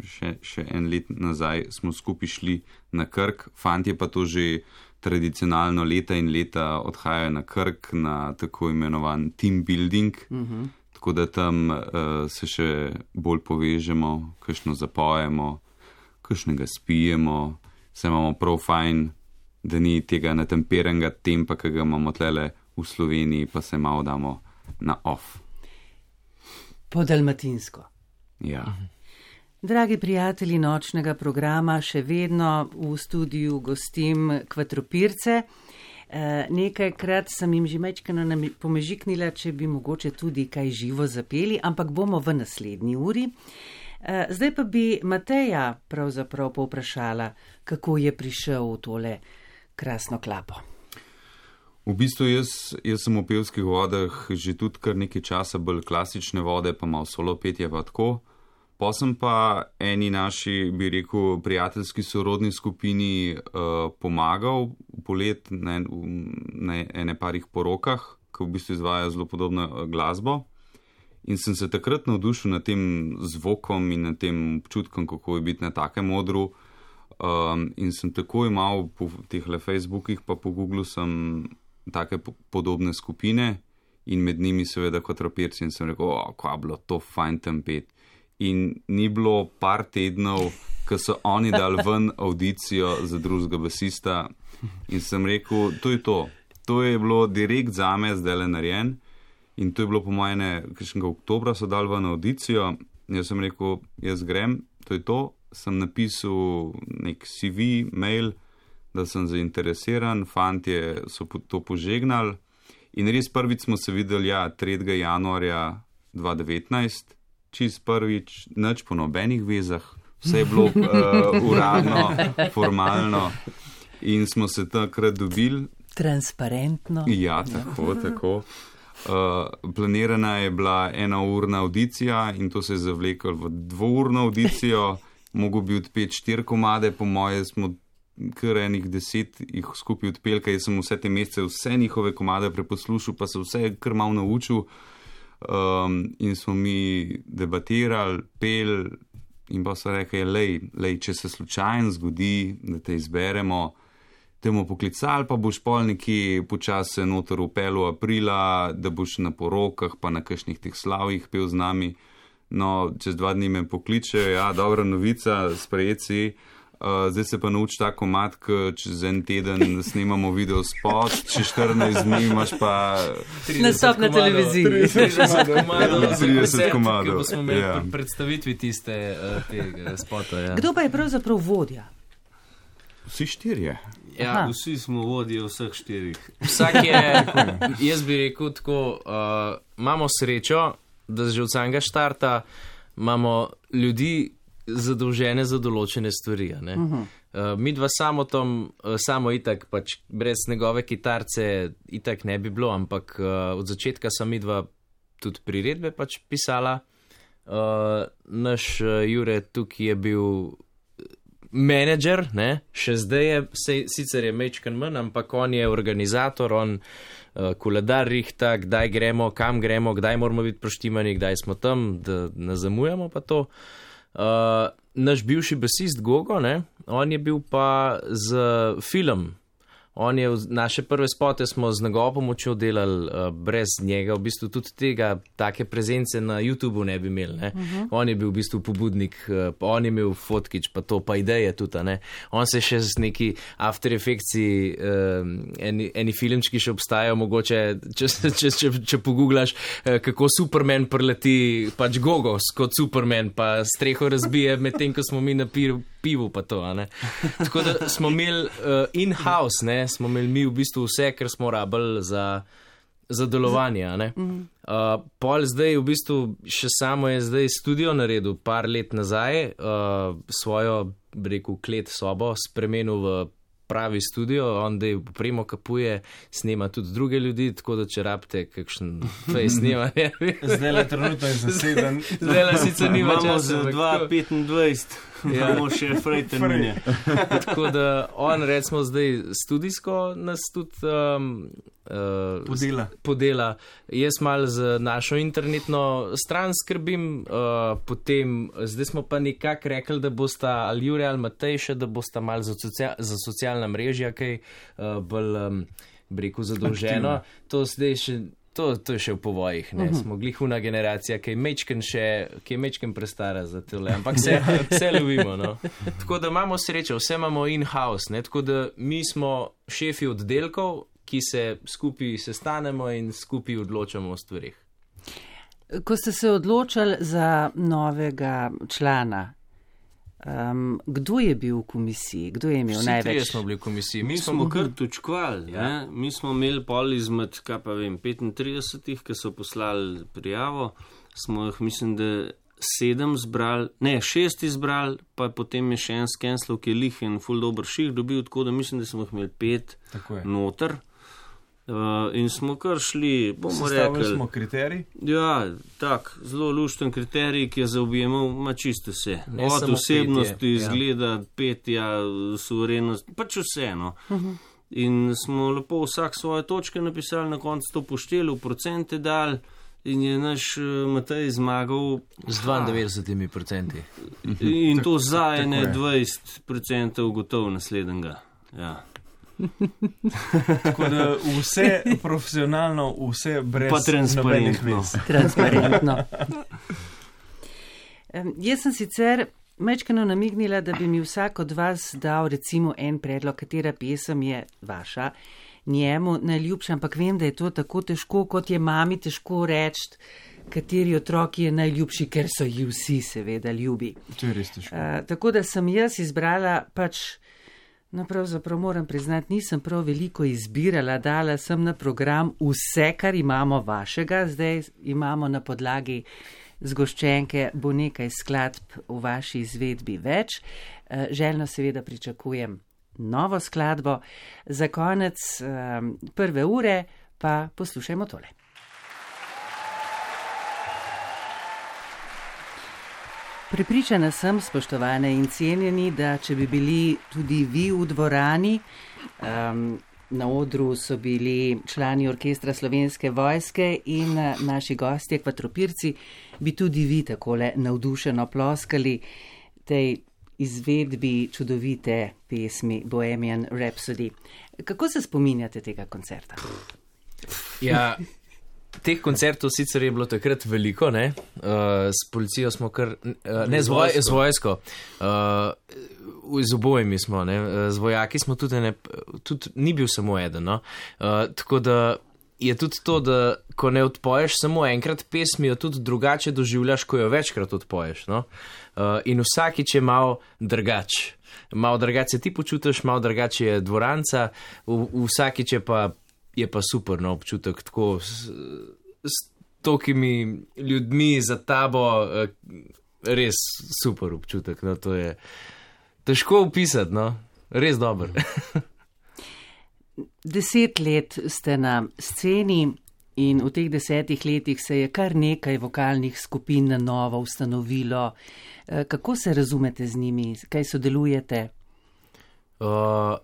še, še en let nazaj smo skupaj šli na Krk. Fantje pa to že tradicionalno leta in leta odhajajo na Krk na tako imenovan team building, uh-huh. tako da tam uh, se še bolj povežemo, kakšno zapojemo, kakšnega spijemo, se imamo prav fajn, da ni tega natemperenega tempa, ki ga imamo tlele v Sloveniji, pa se malo damo na off. Po dalmatinsko. Ja. Uh-huh. Dragi prijatelji nočnega programa, še vedno v studiu gostim Kvatropirce. E, nekajkrat sem jim že mečkano pomežiknila, če bi mogoče tudi kaj živo zapeli, ampak bomo v naslednji uri. E, zdaj pa bi Mateja pravzaprav povprašala, kako je prišel v tole krasno klapo. V bistvu jaz, jaz sem v pevskih vodah že tudi kar nekaj časa, bolj klasične vode, pa malo solo petje pa tako. Pa sem pa eni naši, bi rekel, prijateljski sorodni skupini uh, pomagal polet na, na ene parih porokah, ki v bistvu izvajajo zelo podobno glasbo. In sem se takrat navdušil nad tem zvokom in nad tem občutkom, kako je biti na takem odru. Um, in sem takoj imel po teh le Facebookih, pa po Googlu sem take po, podobne skupine in med njimi seveda Kvatropirci in sem rekel, o, kva bilo to fajn tam pet. In ni bilo par tednov, ko so oni dali ven audicijo za drugega basista in sem rekel, to je to. To je bilo direkt zame zdaj le narejen in to je bilo po mojem kakšnega oktobra so dali ven audicijo. Jaz sem rekel, jaz grem, to je to. Sem napisal nek C V, mail, da sem zainteresiran, fantje so to požegnali in res prvič smo se videli, ja, tretjega januarja dva devetnajst. Čist prvič, nič po nobenih vezah, vse je bilo uh, uradno, formalno in smo se takrat dobili. Transparentno. Ja, tako, tako. Uh, planirana je bila ena urna audicija in to se je zavleklo v dvourno audicijo, mogo bi odpeti štiri komade, po moje smo kar enih deset jih skupaj odpeli, kaj sem vse te mesece, vse njihove komade preposlušal, pa se vse kar malo naučil. Um, in smo mi debatirali, pel in pa so rekli, lej, lej, če se slučajno zgodi, da te izberemo, te bomo poklicali, pa boš pol nekje počasi se noter upel v aprila, da boš na porokah, pa na kakšnih teh slavjih pel z nami. No, čez dva dni me pokličejo, ja, dobra novica, sprejeci. Uh, zdaj se pa nauči ta komad, ki čez en teden snemamo video spot, čez štirinajst dni imaš pa nastop na televiziji. trideset komadov, trideset komadov. Ki bomo imeli ja. predstavitvi tiste uh, tega spota. Ja. Kdo pa je pravzaprav vodja? Vsi štirje. Ja, vsi smo vodje vseh štirih. Vsak je, jaz bi rekel tako, uh, imamo srečo, da že od samega štarta imamo ljudi, zadolžene za določene stvari. Uh-huh. Uh, mi dva samo tom, uh, samo itak, pač brez njegove kitarce itak ne bi bilo, ampak uh, od začetka sem mi dva tudi priredbe pač pisala. Uh, naš uh, Jure tukaj je bil menedžer, ne? Še zdaj je, se, sicer je mečkan manj, ampak on je organizator, on uh, koledar rihta, kdaj gremo, kam gremo, kdaj moramo biti proštimani, kdaj smo tam, da ne zamujamo pa to. Uh, naš bivši basist Gogo, ne, on je bil pa z film. On je, naše prve spote smo z njegovo pomočjo delali, uh, brez njega, v bistvu tudi tega, take prezence na YouTubeu ne bi imeli, ne. Uh-huh. On je bil v bistvu pobudnik, uh, on je imel fotkič, pa to, pa ideje tudi, ne. On se še z neki After Effectsi, uh, eni, eni filmčki še obstajajo, mogoče, če, če, če, če poguglaš, uh, kako Superman preleti, pač Gogos kot Superman, pa streho razbije, medtem ko smo mi na piru pivu pa to, a ne. Tako da smo imeli uh, in-house, ne, smo imeli mi v bistvu vse, kar smo rabili za, za delovanje, a ne. Uh, pol zdaj v bistvu še samo je zdaj studio naredil par let nazaj, uh, svojo, bi rekel, klet sobo spremenil v pravi studio, on da je opremo kapuje, snema tudi druge ljudi, tako da če rabite kakšen fej snemanje. Zdaj le trenutno je zaseden. Zdaj le sicer nima časa. Imamo za dva petindvajset, imamo še frej termine. Tako da on recimo zdaj studijsko nas tudi um, uh, podela. podela. Jaz malo z našo internetno stran skrbim, uh, potem zdaj smo pa nekako rekli, da bosta ali Jure ali Matej še, da bosta malo za, socia za socialna mrežja, kaj uh, bolj, um, bi rekel, zadolženo. To zdaj še To, to je še v povojih, ne, uh-huh. Smo glihuna generacija, ki je mečken še, ki je mečken prestara za tole, ampak se, se lovimo, no. Tako da imamo srečo, vse imamo in-house, ne, tako da mi smo šefi oddelkov, ki se skupaj sestanemo in skupaj odločamo o stvarih. Ko ste se odločali za novega člana, Um, kdo je bil v komisiji? Kdo je imel Vsi največ? Vsi smo bili v komisiji. Mi, mi smo, smo kar točkvali. Ja. Mi smo imeli pol izmed, kaj pa vem, petintridesetih, ki so poslali prijavo. Smo jih, mislim, da sedem zbrali, ne, šest izbrali, pa potem je še en skenslov, ki je lih in ful dober ših dobil, tako da mislim, da smo jih imeli pet noter. Uh, in smo kar šli, bomo rekli. Sestavili smo kriterij? Ja, tak, zelo lušten kriterij, ki je zaobjemal ma čisto vse. Ne od osebnosti, petje, izgleda, ja. petja, suverenost, pač vseeno. Uh-huh. In smo lepo vsak svoje točke napisali, na koncu to pošteli, v procente dal in je naš uh, Matej zmagal z dvaindevetdeset procenti. In to za ene dvajset procentov gotov naslednjega. Ja. Tako da vse profesionalno, vse brez pa transparentno. transparentno. um, jaz sem sicer mečkano namignila, da bi mi vsak od vas dal recimo en predlog, katera pesem je vaša, njemu najljubša, ampak vem, da je to tako težko, kot je mami težko reči, kateri otroki je najljubši, ker so ji vsi seveda ljubi. To je res težko. Uh, tako da sem jaz izbrala pač. No, pravzaprav moram priznati, nisem prav veliko izbirala, dala sem na program vse, kar imamo vašega, zdaj imamo na podlagi zgoščenke, bo nekaj skladb v vaši izvedbi več. Željno seveda pričakujem novo skladbo. Za konec prve ure pa poslušajmo tole. Prepričana sem, spoštovane in cenjeni, da če bi bili tudi vi v dvorani, um, na odru so bili člani orkestra Slovenske vojske in naši gostje, kvatropirci, bi tudi vi takole navdušeno ploskali tej izvedbi čudovite pesmi Bohemian Rhapsody. Kako se spominjate tega koncerta? Ja, teh koncertov sicer je bilo takrat veliko, ne, uh, s policijo smo kar, uh, ne, z, voj, z vojsko, uh, z obojimi smo, ne, z vojaki smo tudi, ne, tudi ni bil samo eden, no, uh, tako da je tudi to, da ko ne odpoješ samo enkrat pesmi, jo tudi drugače doživljaš, ko jo večkrat odpoješ, no, uh, in vsakič je malo drugač, malo drugače ti počutiš, malo drugače je dvoranca, v, vsakič je pa je pa super, no, občutek tako s, s tokimi ljudmi za tabo, res super občutek, no, to je težko opisati, no, res dober. Deset let ste na sceni in v teh desetih letih se je kar nekaj vokalnih skupin na novo ustanovilo. Kako se razumete z njimi? Kaj sodelujete? Uh,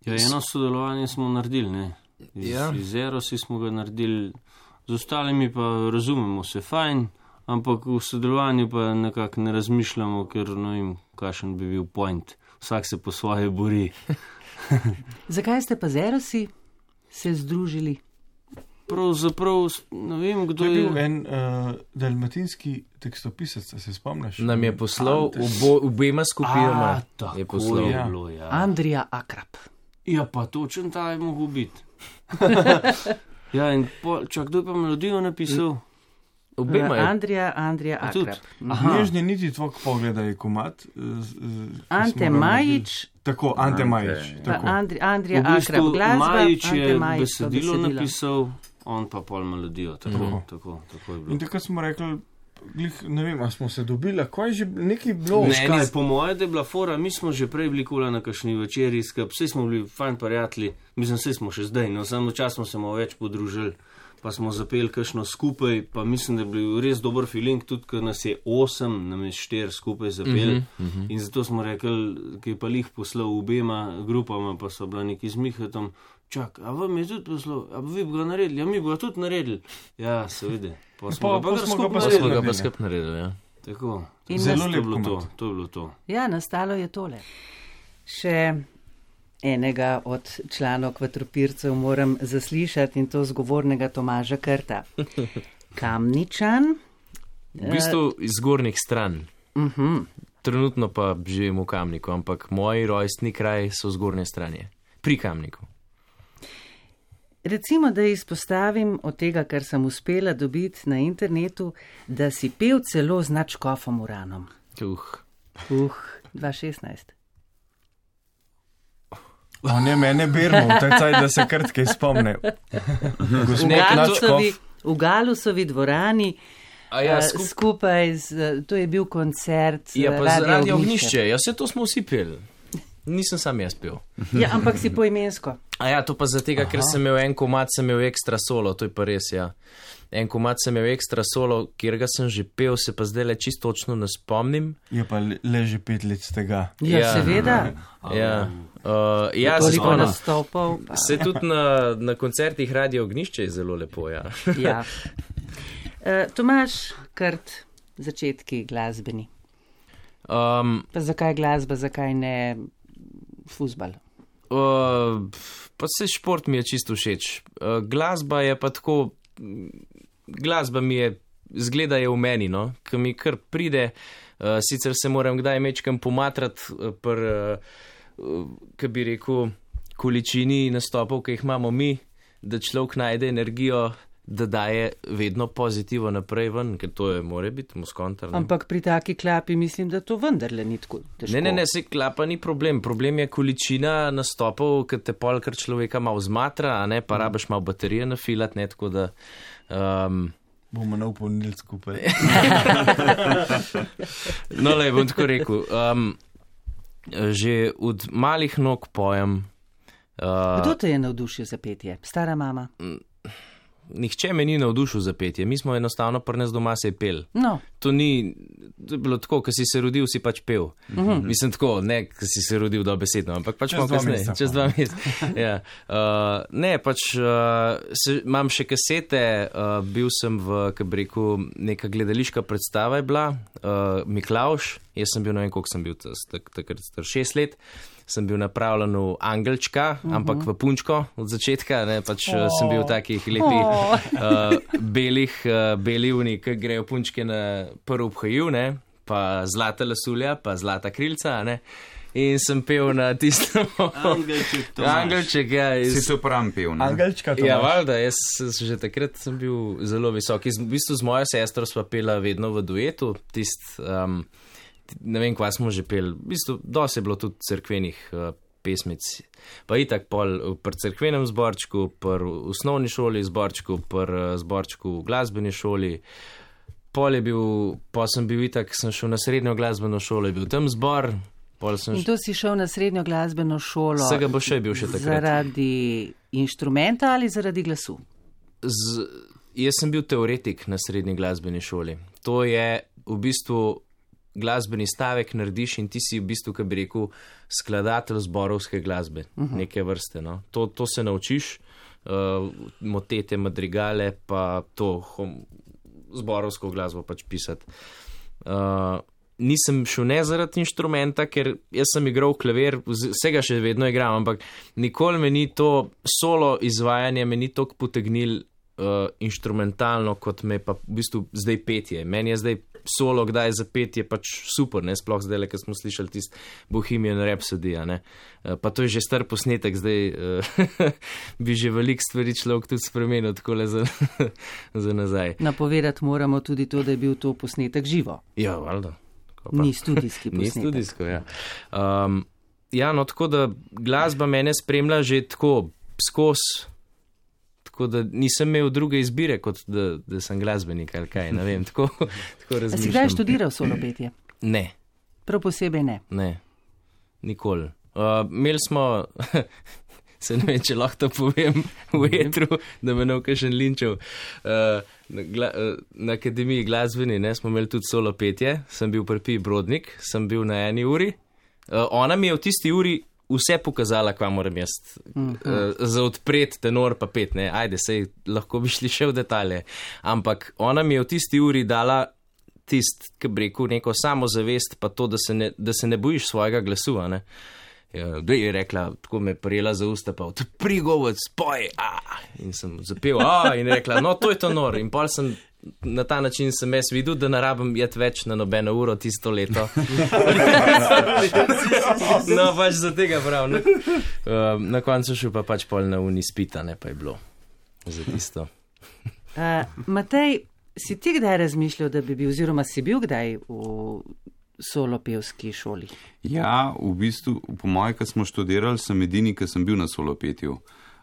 ja, eno sodelovanje smo naredili, ne? Iz, ja. iz Erosi smo ga naredili, z ostalimi pa razumemo se fajn, ampak v sodelovanju pa nekako ne razmišljamo, ker ne vem, kakšen bi bil point. Vsak se po svoje bori. Zakaj ste pa z Erosi se združili? Pravzaprav, ne vem, kdo je... To je bil en uh, dalmatinski tekstopisec, se spomniš? Nam je poslal obo, obema skupinama. A, tako je poslal. Je bilo, ja. Andrija Akrap. Ja, pa točen ta je mogel biti. Ja, in po, čak, kdo je pa melodijo napisal? Obema je. Andrija, Andrija Akrap. Nežni niti tvoj pogleda je komat. Ante Majič. Tako, Ante Majič. Andri, Andrija v bistvu Akrap glasba. Majič je Ante Majič besedilo napisal, on pa pol melodijo. Tako, mm. tako, tako je bilo. In takrat smo rekli, glih, ne vem, a smo se dobili, ko je že nekaj bilo. Ne, ne, po moje, da je bila fora, mi smo že prej bili kula na kakšni večeri, vsi smo bili fajn prijatelji, mislim, vsi smo še zdaj, no, samo čas smo se malo več podružili, pa smo zapeli kakšno skupaj, pa mislim, da je bil res dober feeling, tudi ker nas je osem, nam je štir skupaj zapeli, uh-huh, uh-huh. In zato smo rekli, ki je pa lih poslal obema grupama, pa so bila neki z Mihatom, čak, a vam je tudi poslal, a vi bi ga naredili, a mi bi ga tudi naredili. Ja, seveda. Pa smo pa, ga pa skupaj pa skup naredili, ja. Tako, In zelo to je bilo lepo. to, to je bilo to. Ja, nastalo je tole. Še enega od članov Kvatropircev moram zaslišati in to zgovornega Tomaža Krta. Kamničan. V bistvu iz zgornjih stran. Uh-huh. Trenutno pa živim v Kamniku, ampak moji rojstni kraj so zgornje stranje. Pri Kamniku. Recimo, da izpostavim od tega, kar sem uspela dobiti na internetu, da si pel celo z Načkofom Uranom. Uh. Uh, dva šestnajst. O ne, mene bermo, taj, da se krtke spomne. V Galusovi, v Galusovi dvorani, ja, skup... skupaj z, to je bil koncert ja, pa Radio, radio Ognišče. Ognišče. Ja, vse to smo vsi peli. Nisem sam jaz pel. Ja, ampak si poimensko. A ja, to pa zato, ker sem imel en komad, sem imel ekstra solo, to je pa res, ja. En komad sem imel ekstra solo, kjer ga sem že pel, se pa zdaj le čisto točno ne spomnim. Je pa le že pet let z tega. Ja, ja. Seveda. Ja, uh, ja toliko nastopov. Se tudi na, na koncertih Radio Ognišče je zelo lepo, ja. Ja. Uh, Tomaž Krt, začetki glasbeni. Um, pa zakaj glasba, zakaj ne fuzbal? Uh, pa se šport mi je čisto všeč. Uh, glasba je pa tako, glasba mi je, zgleda je v meni, no, ki mi kar pride, uh, sicer se moram kdaj mečkam pomatrati, uh, per, uh, kaj bi rekel, količini nastopov, ki jih imamo mi, da človek najde energijo, da daje vedno pozitivo naprej ven, ker to je, more biti muskontar. Ampak pri taki klapi mislim, da to vendarle ni tako težko. Ne, ne, ne, se klapa ni problem. Problem je količina nastopov, ker te pol kar človeka malo zmatra, a ne, pa mm. rabiš malo baterije nafilati, ne, tako da... Um, bomo napolnili skupaj. No, le, bom tako rekel. Um, že od malih nog pojem... Uh, Kdo te je navdušil za petje? Stara mama? Nihče me ni navdušil za petje, mi smo enostavno pri nas doma se pel. No. To ni, to je bilo tako, ko si se rodil, si pač pel. Mm-hmm. Mislim tako, ne, ko si se rodil dobesedno, ampak pač malo kasneje, čez dva meseca. Ja. Uh, ne, pač uh, se, imam še kasete, uh, bil sem v, kaj bi rekel, neka gledališka predstava je bila, uh, Miklavž, jaz sem bil, ne vem, koliko sem bil, takrat star šest let. Sem bil napravljen v angelčka, uh-huh. ampak v punčko od začetka, ne, pač oh. sem bil v takih lepih oh. uh, belih, uh, beli uni, ki grejo punčke na prv obhaju, ne, pa zlata lasulja, pa zlata krilca, ne, in sem pel na tistem Angelček, to Angelček, ja. Iz... Si se upravim pel, ne? Angelčka, to Ja, valjda, jaz že takrat sem bil zelo visok. V bistvu z mojo sestro sva pela vedno v duetu, tist... Um, ne vem, kva smo že peli, v bistvu, dosti je bilo tudi cerkvenih uh, pesmic, pa itak pol pri cerkvenem zborčku, pri osnovni šoli zborčku, pri uh, zborčku v glasbeni šoli, pol je bil, pa sem bil itak, sem šel na srednjo glasbeno šolo, je bil tam zbor, pol sem... In to si šel na srednjo glasbeno šolo? Vsega bo še bil še takrat. Zaradi inštrumenta ali zaradi glasu? Z, jaz sem bil teoretik na srednji glasbeni šoli. To je v bistvu glasbeni stavek narediš in ti si v bistvu, kaj bi rekel, skladatelj zborovske glasbe, uh-huh. neke vrste. No. To, to se naučiš, uh, motete, madrigale, pa to hom, zborovsko glasbo pač pisati. Uh, nisem šel ne zaradi inštrumenta, ker jaz sem igral klavir, vsega še vedno igram, ampak nikoli me ni to solo izvajanje, me ni toliko potegnil uh, inštrumentalno, kot me pa v bistvu zdaj petje. Meni je zdaj solo kdaj zapet je pač super, ne, sploh zdaj, ker smo slišali tist Bohemian Rhapsody, ne. Pa to je že star posnetek, zdaj bi že veliko stvari človek tudi spremenil, takole za, za nazaj. Napovedati moramo tudi to, da je bil to posnetek živo. Ja, valjda. Ni studijski posnetek. Ni studijsko, ja. Um, ja, no, tako da glasba mene spremlja že tako skozi, tako da nisem imel druge izbire, kot da, da sem glasbenik ali kaj, ne vem, tako, tako razmišljam. A si kdaj študiral solo petje? Ne. Prav posebej ne? Ne, nikoli. Uh, imeli smo, se ne vem, če lahko to povem v etru, da me ne v kakšen linčev, uh, na, gla, uh, na akademiji glasbeni, ne, smo imeli tudi solo petje, sem bil pri Pi Brodnik, sem bil na eni uri, uh, ona mi je v tisti uri vse pokazala, kva moram jaz uh, za odpret tenor pa pet, ne, ajde, sej lahko bi šli še v detalje, ampak ona mi je v tisti uri dala tist, ki bi rekel, neko samozavest, pa to, da se ne, da se ne bojiš svojega glasu, a ne. Ja, da je rekla, tako me prijela za usta, pa odpri govor, spoj, a, in sem zapel, a, in rekla, no, to je tenor, in pol sem na ta način sem jaz videl, da ne rabim jeti več na nobeno uro tisto leto. No, pač za tega prav. Ne? Uh, na koncu šel pa pač pol na uni spita, ne pa je bilo za tisto. Uh, Matej, si ti kdaj razmišljal, da bi bil, oziroma si bil kdaj v solopevski šoli? Ja, v bistvu, po moje, ko smo študirali, sem edini, ki sem bil na solopetju.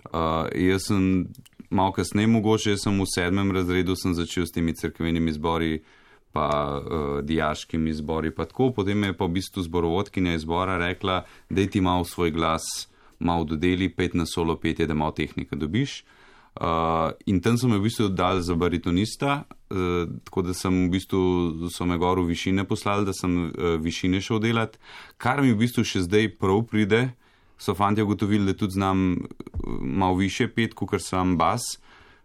Uh, jaz sem malo kasneje mogoče, jaz sem v sedmem razredu sem začel s temi cerkvenimi zbori, pa uh, dijaškimi zbori, pa tako, potem je pa v bistvu zborovodkinja izbora rekla, daj ti malo svoj glas, malo dodeli, pet na solo petje, da malo tehnike dobiš. Uh, in tam so me v bistvu dali za baritonista, uh, tako da sem v bistvu, so me gor v višine poslali, da sem uh, višine šel delati, kar mi v bistvu še zdaj prav pride. So fantje ugotovili, da tudi znam malo više pet, kot sam bas,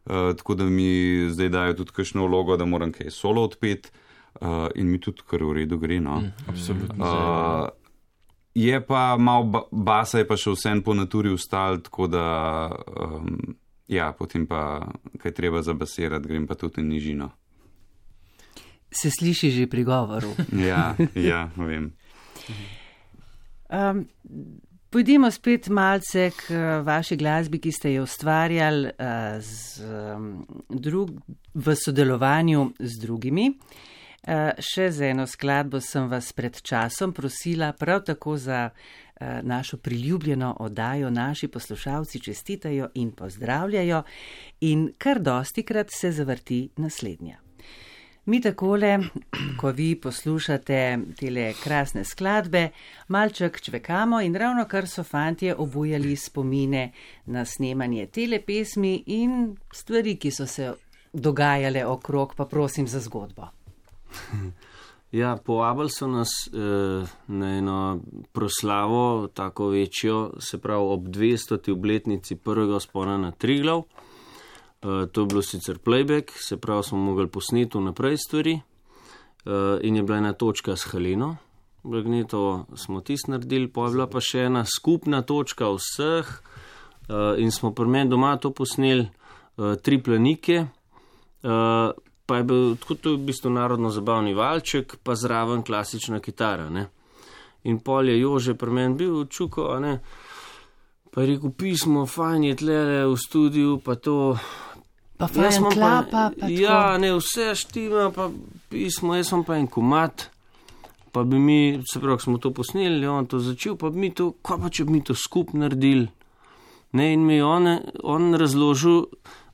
uh, tako da mi zdaj dajo tudi kakšno vlogo, da moram kaj solo odpet uh, in mi tudi kar v redu gre, no. Absolutno. Uh, je pa malo ba basa, je pa še vsem po naturi ustal, tako da um, ja, potem pa, kaj treba zabasirati, grem pa tudi v nižino. Se sliši že pri govoru. Ja, ja, vem. Um, Pojdimo spet malce k vaši glasbi, ki ste jo ustvarjali uh, z, um, drug, v sodelovanju z drugimi. Uh, še za eno skladbo sem vas pred časom prosila, prav tako za uh, našo priljubljeno oddajo naši poslušalci čestitajo in pozdravljajo in kar dostikrat se zavrti naslednja. Mi takole, ko vi poslušate tele krasne skladbe, malček čvekamo in ravno kar so fantje obujali spomine na snemanje tele pesmi in stvari, ki so se dogajale okrog, pa prosim za zgodbo. Ja, povabili so nas eh, na eno proslavo, tako večjo, se pravi ob dvestoti obletnici prvega vzpona na Triglav. Uh, to je bilo sicer playback, se pravi, smo mogli posneti vnaprej stvari uh, in je bila ena točka s Heleno. Blagnetovo smo tisto naredili, pa je bila pa še ena skupna točka vseh uh, in smo pri meni doma to posneli, uh, tri planike, uh, pa je bil tako to v bistvu narodno zabavni valček, pa zraven klasična kitara, ne. In pol je Jože pri meni bil čuko, a ne, pa je rekel, pismo, fajn je tlele v studiu, pa to... Pa fajn klapa, pa, pa ja, ne, vse štima, pa pismo, jaz sem pa en komat, pa bi mi, se pravi, smo to posneli, on to začel, pa bi mi to, kaj pa če bi mi to skup naredili? Ne, in mi on, on razložil,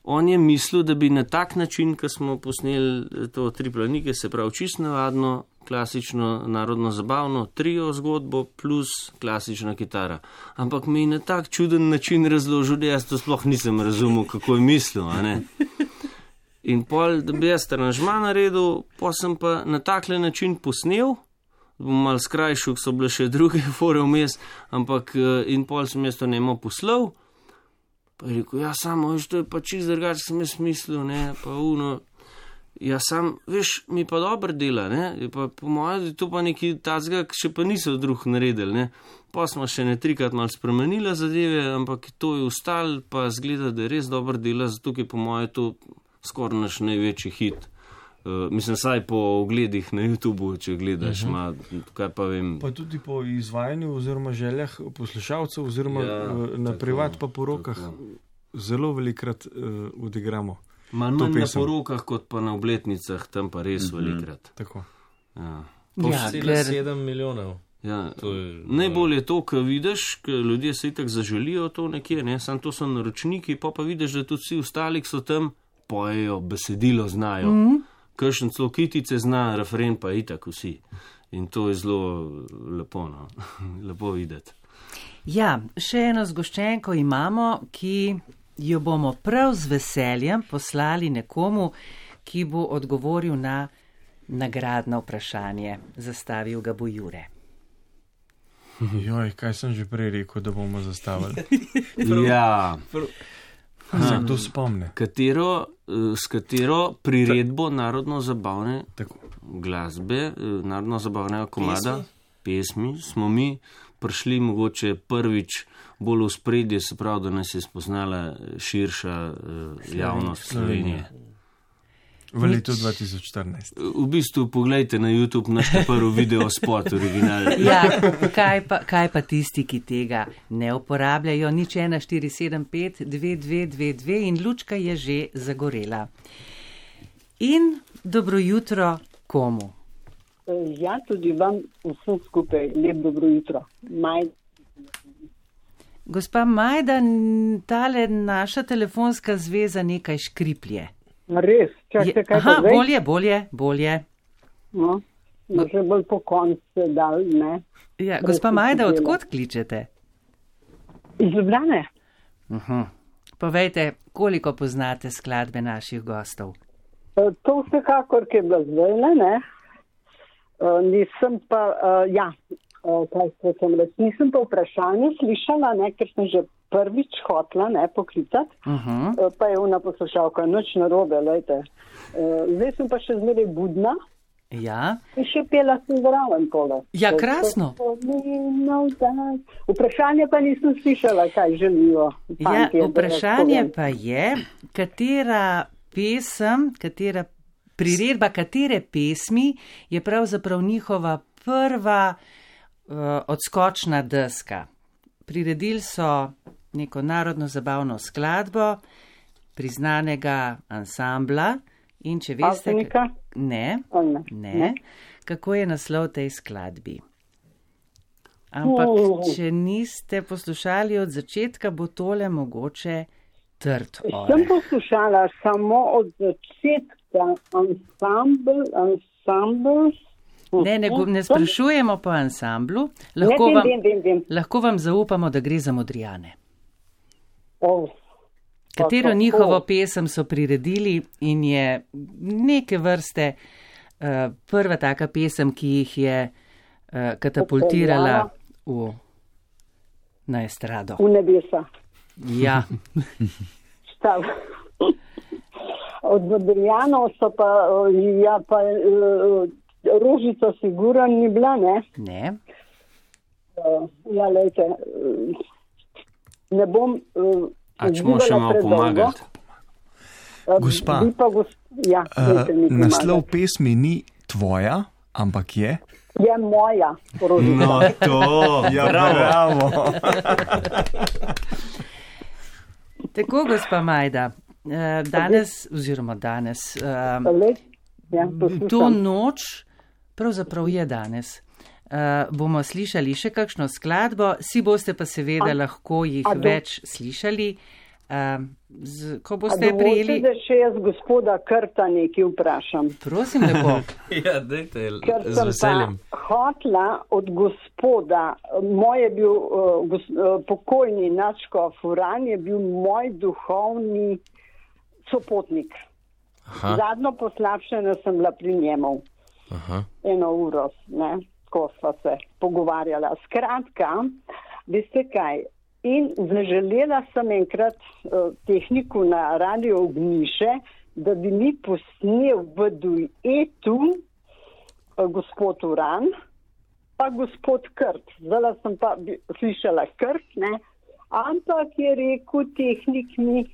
on je mislil, da bi na tak način, ko smo posneli to tri planike, se pravi, čisto navadno, klasično, narodno zabavno, trio zgodbo plus klasična kitara. Ampak mi je na tak čuden način razložil, da jaz to sploh nisem razumel, kako je mislil, a ne. In pol, da bi jaz aranžma naredil, pa sem pa na takle način posnel, bom malo skrajšal, so bile še druge fore vmes, ampak in pol sem jaz to nemo poslal, pa je rekel, ja, samo, veš, to je pa čist drugače, sem jaz mislil, ne, pa uno, ja, sam, veš, mi pa dobro dela, ne, je pa po mojem, to pa neki tacga, še pa niso drug naredili, ne, pa smo še ne trikrat malo spremenila zadeve, ampak to je ustal, pa zgleda, da je res dobro dela, zato je po mojem to skoraj naš največji hit Uh, mislim, saj po ogledih na YouTubu, če gledaš, uh -huh. ma, kaj pa vem. Pa tudi po izvajanju oziroma željah poslušalcev oziroma ja, na tako, privat pa po rokah tako. Zelo velikrat uh, odigramo. Manj na porokah kot pa na obletnicah, tam pa res mm -hmm. velikrat. Tako. Ja. Ja, ker... sedem milijonov. Ja. Je, najbolj je to, ko vidiš, ko ljudje se itak zaželijo to nekje, ne? Sam to so naročniki, pa pa vidiš, da tudi vsi ostali so tam, pojejo, besedilo znajo. Mm -hmm. Kršen celo kitice zna, refren pa itak vsi. In to je zelo lepo, no? lepo videti. Ja, še eno zgoščenko imamo, ki jo bomo prav z veseljem poslali nekomu, ki bo odgovoril na nagradno vprašanje. Zastavil ga bo Jure. Joj, kaj sem že prej rekel, da bomo zastavili? Ja. Se kdo spomne? Katero, s katero priredbo narodno-zabavne Tako. glasbe, narodno-zabavnega komada, pesmi. pesmi, smo mi prišli mogoče prvič bolj v spredje, se pravi, da nas je spoznala širša javnost Slovenije. V letu dva tisoč štirinajst. V bistvu, poglejte na YouTube naš prvi video spot original. Ja, kaj pa, kaj pa tisti, ki tega ne uporabljajo, nič ena štiri sedem pet dve dve dve dve in lučka je že zagorela. In dobro jutro komu? Ja, tudi vam vsem skupaj lep dobro jutro. Majda. Gospa Majda, tale naša telefonska zveza nekaj škriplje. Res, čakajte, kaj aha, pa zdaj? bolje, bolje, bolje. No, že bolj po koncu se dal, ne. Ja, gospa Majda, odkot kličete? Iz Ljubljane. Uh-huh. Povejte, koliko poznate skladbe naših gostov? To vsekakor, ki je bila zdaj, ne. Uh, nisem pa, uh, ja, uh, kaj sem reč, nisem pa vprašanje slišala, ne, ker sem že prvič hotla, ne, poklicati, uh-huh. uh, pa je ona poslušalka, nič narobe, lejte. Uh, zdaj sem pa še zmeraj budna. Ja. In še pela sem zraven tole. Ja, krasno. Vprašanje pa nisem slišala, kaj želijo. Ja, vprašanje pa je, katera pesem, katera priredba, katere pesmi je pravzaprav njihova prva uh, odskočna deska. Priredili so neko narodno zabavno skladbo priznanega ansambla in če veste, Avsenika? Ne, ne, ne, ne, kako je naslov tej skladbi. Ampak, uh. če niste poslušali od začetka, bo tole mogoče trd oreh. Sem poslušala samo od začetka ansambl, ansambl. Ne, ne, ne sprašujemo po ansamblu, lahko, ne, vam, vem, vem, vem. lahko vam zaupamo, da gre za Modrijane. Oh. Katero njihovo pesem so priredili in je neke vrste uh, prva taka pesem, ki jih je uh, katapultirala v, na estrado. V nebesa. Ja. Štav. Od Modrijanov so pa, ja, pa uh, Rožica sigurno ni bila, ne? Ne. Uh, ja, lejte, uh, ne bom... Uh, A če mu še malo pomagati? Gospa, gos ja, uh, naslov pesmi ni tvoja, ampak je? Je moja. Rožica. No to, ja, bravo. Tako, gospa Majda, danes, oziroma danes, uh, ja, to noč, pravzaprav je danes, uh, bomo slišali še kakšno skladbo, si boste pa seveda a, lahko jih do, več slišali, uh, z, ko boste prijeli. Da še jaz gospoda Krta nekaj vprašam. Prosim, lepo. Ja, dajte, Ker z veseljem. Ker sem pa hotla od gospoda, moj je bil uh, gos, uh, pokojni Načko Furan, je bil moj duhovni sopotnik. Aha. Zadnjo poslabšanje sem bila pri njemu. Aha. Eno uro, ne, ko sva se pogovarjala. Skratka, veste kaj, in zaželela sem enkrat uh, tehniku na radio Ogniše, da bi mi posnel v duetu uh, gospod Uran, pa gospod Krt. Zdaj sem pa slišala Krt, ne, ampak je rekel tehnik mi,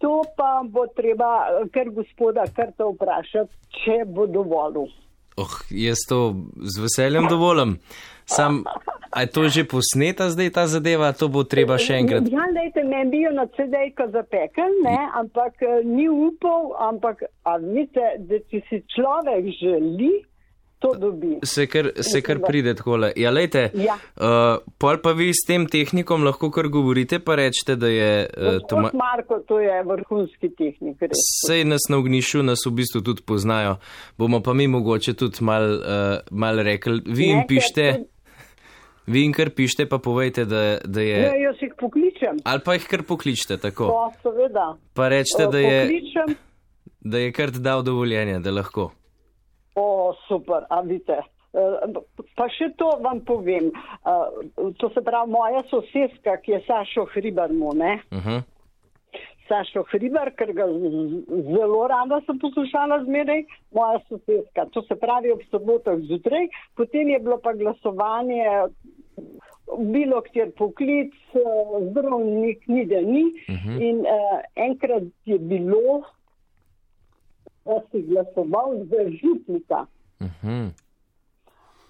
To pa bo treba kar gospoda Krta vprašati, če bo dovolil. Oh, jaz to z veseljem dovolim. Sam, a je to že posneta zdaj ta zadeva, to bo treba še enkrat? Ja, lejte, meni bi jo na C D-ko zapekel, ne, ampak ni upal, ampak, a vidite, da če si človek želi, to dobi. Se kar, se kar pride takole. Ja, lejte, ja. Uh, pol pa vi s tem tehnikom lahko kar govorite, pa rečete, da je... Uh, Gospod ma... Marko, to je vrhunski tehnik. Res. Sej nas na Ognjišču, nas v bistvu tudi poznajo. Bomo pa mi mogoče tudi mal, uh, mal rekli. Vi jim pište, vi jim kar pište, pa povejte, da, da je... Ja, jaz jih pokličem. Ali pa jih kar pokličite, tako. To, seveda. Pa rečete, da je... Pokličem. Da je kar dal dovoljenje, da lahko. O, super, a vidite. Pa še to vam povem. To se pravi, moja sosedska, ki je Sašo Hribar mu, ne? Uh-huh. Sašo Hribar, ker ga zelo rada sem poslušala zmeraj, moja sosedska. To se pravi ob sobotah zjutraj, potem je bilo pa glasovanje, bilo kjer poklic, zdravnik ni da ni. Uh-huh. In uh, enkrat je bilo, da si glasoval za župnika. Uh-huh.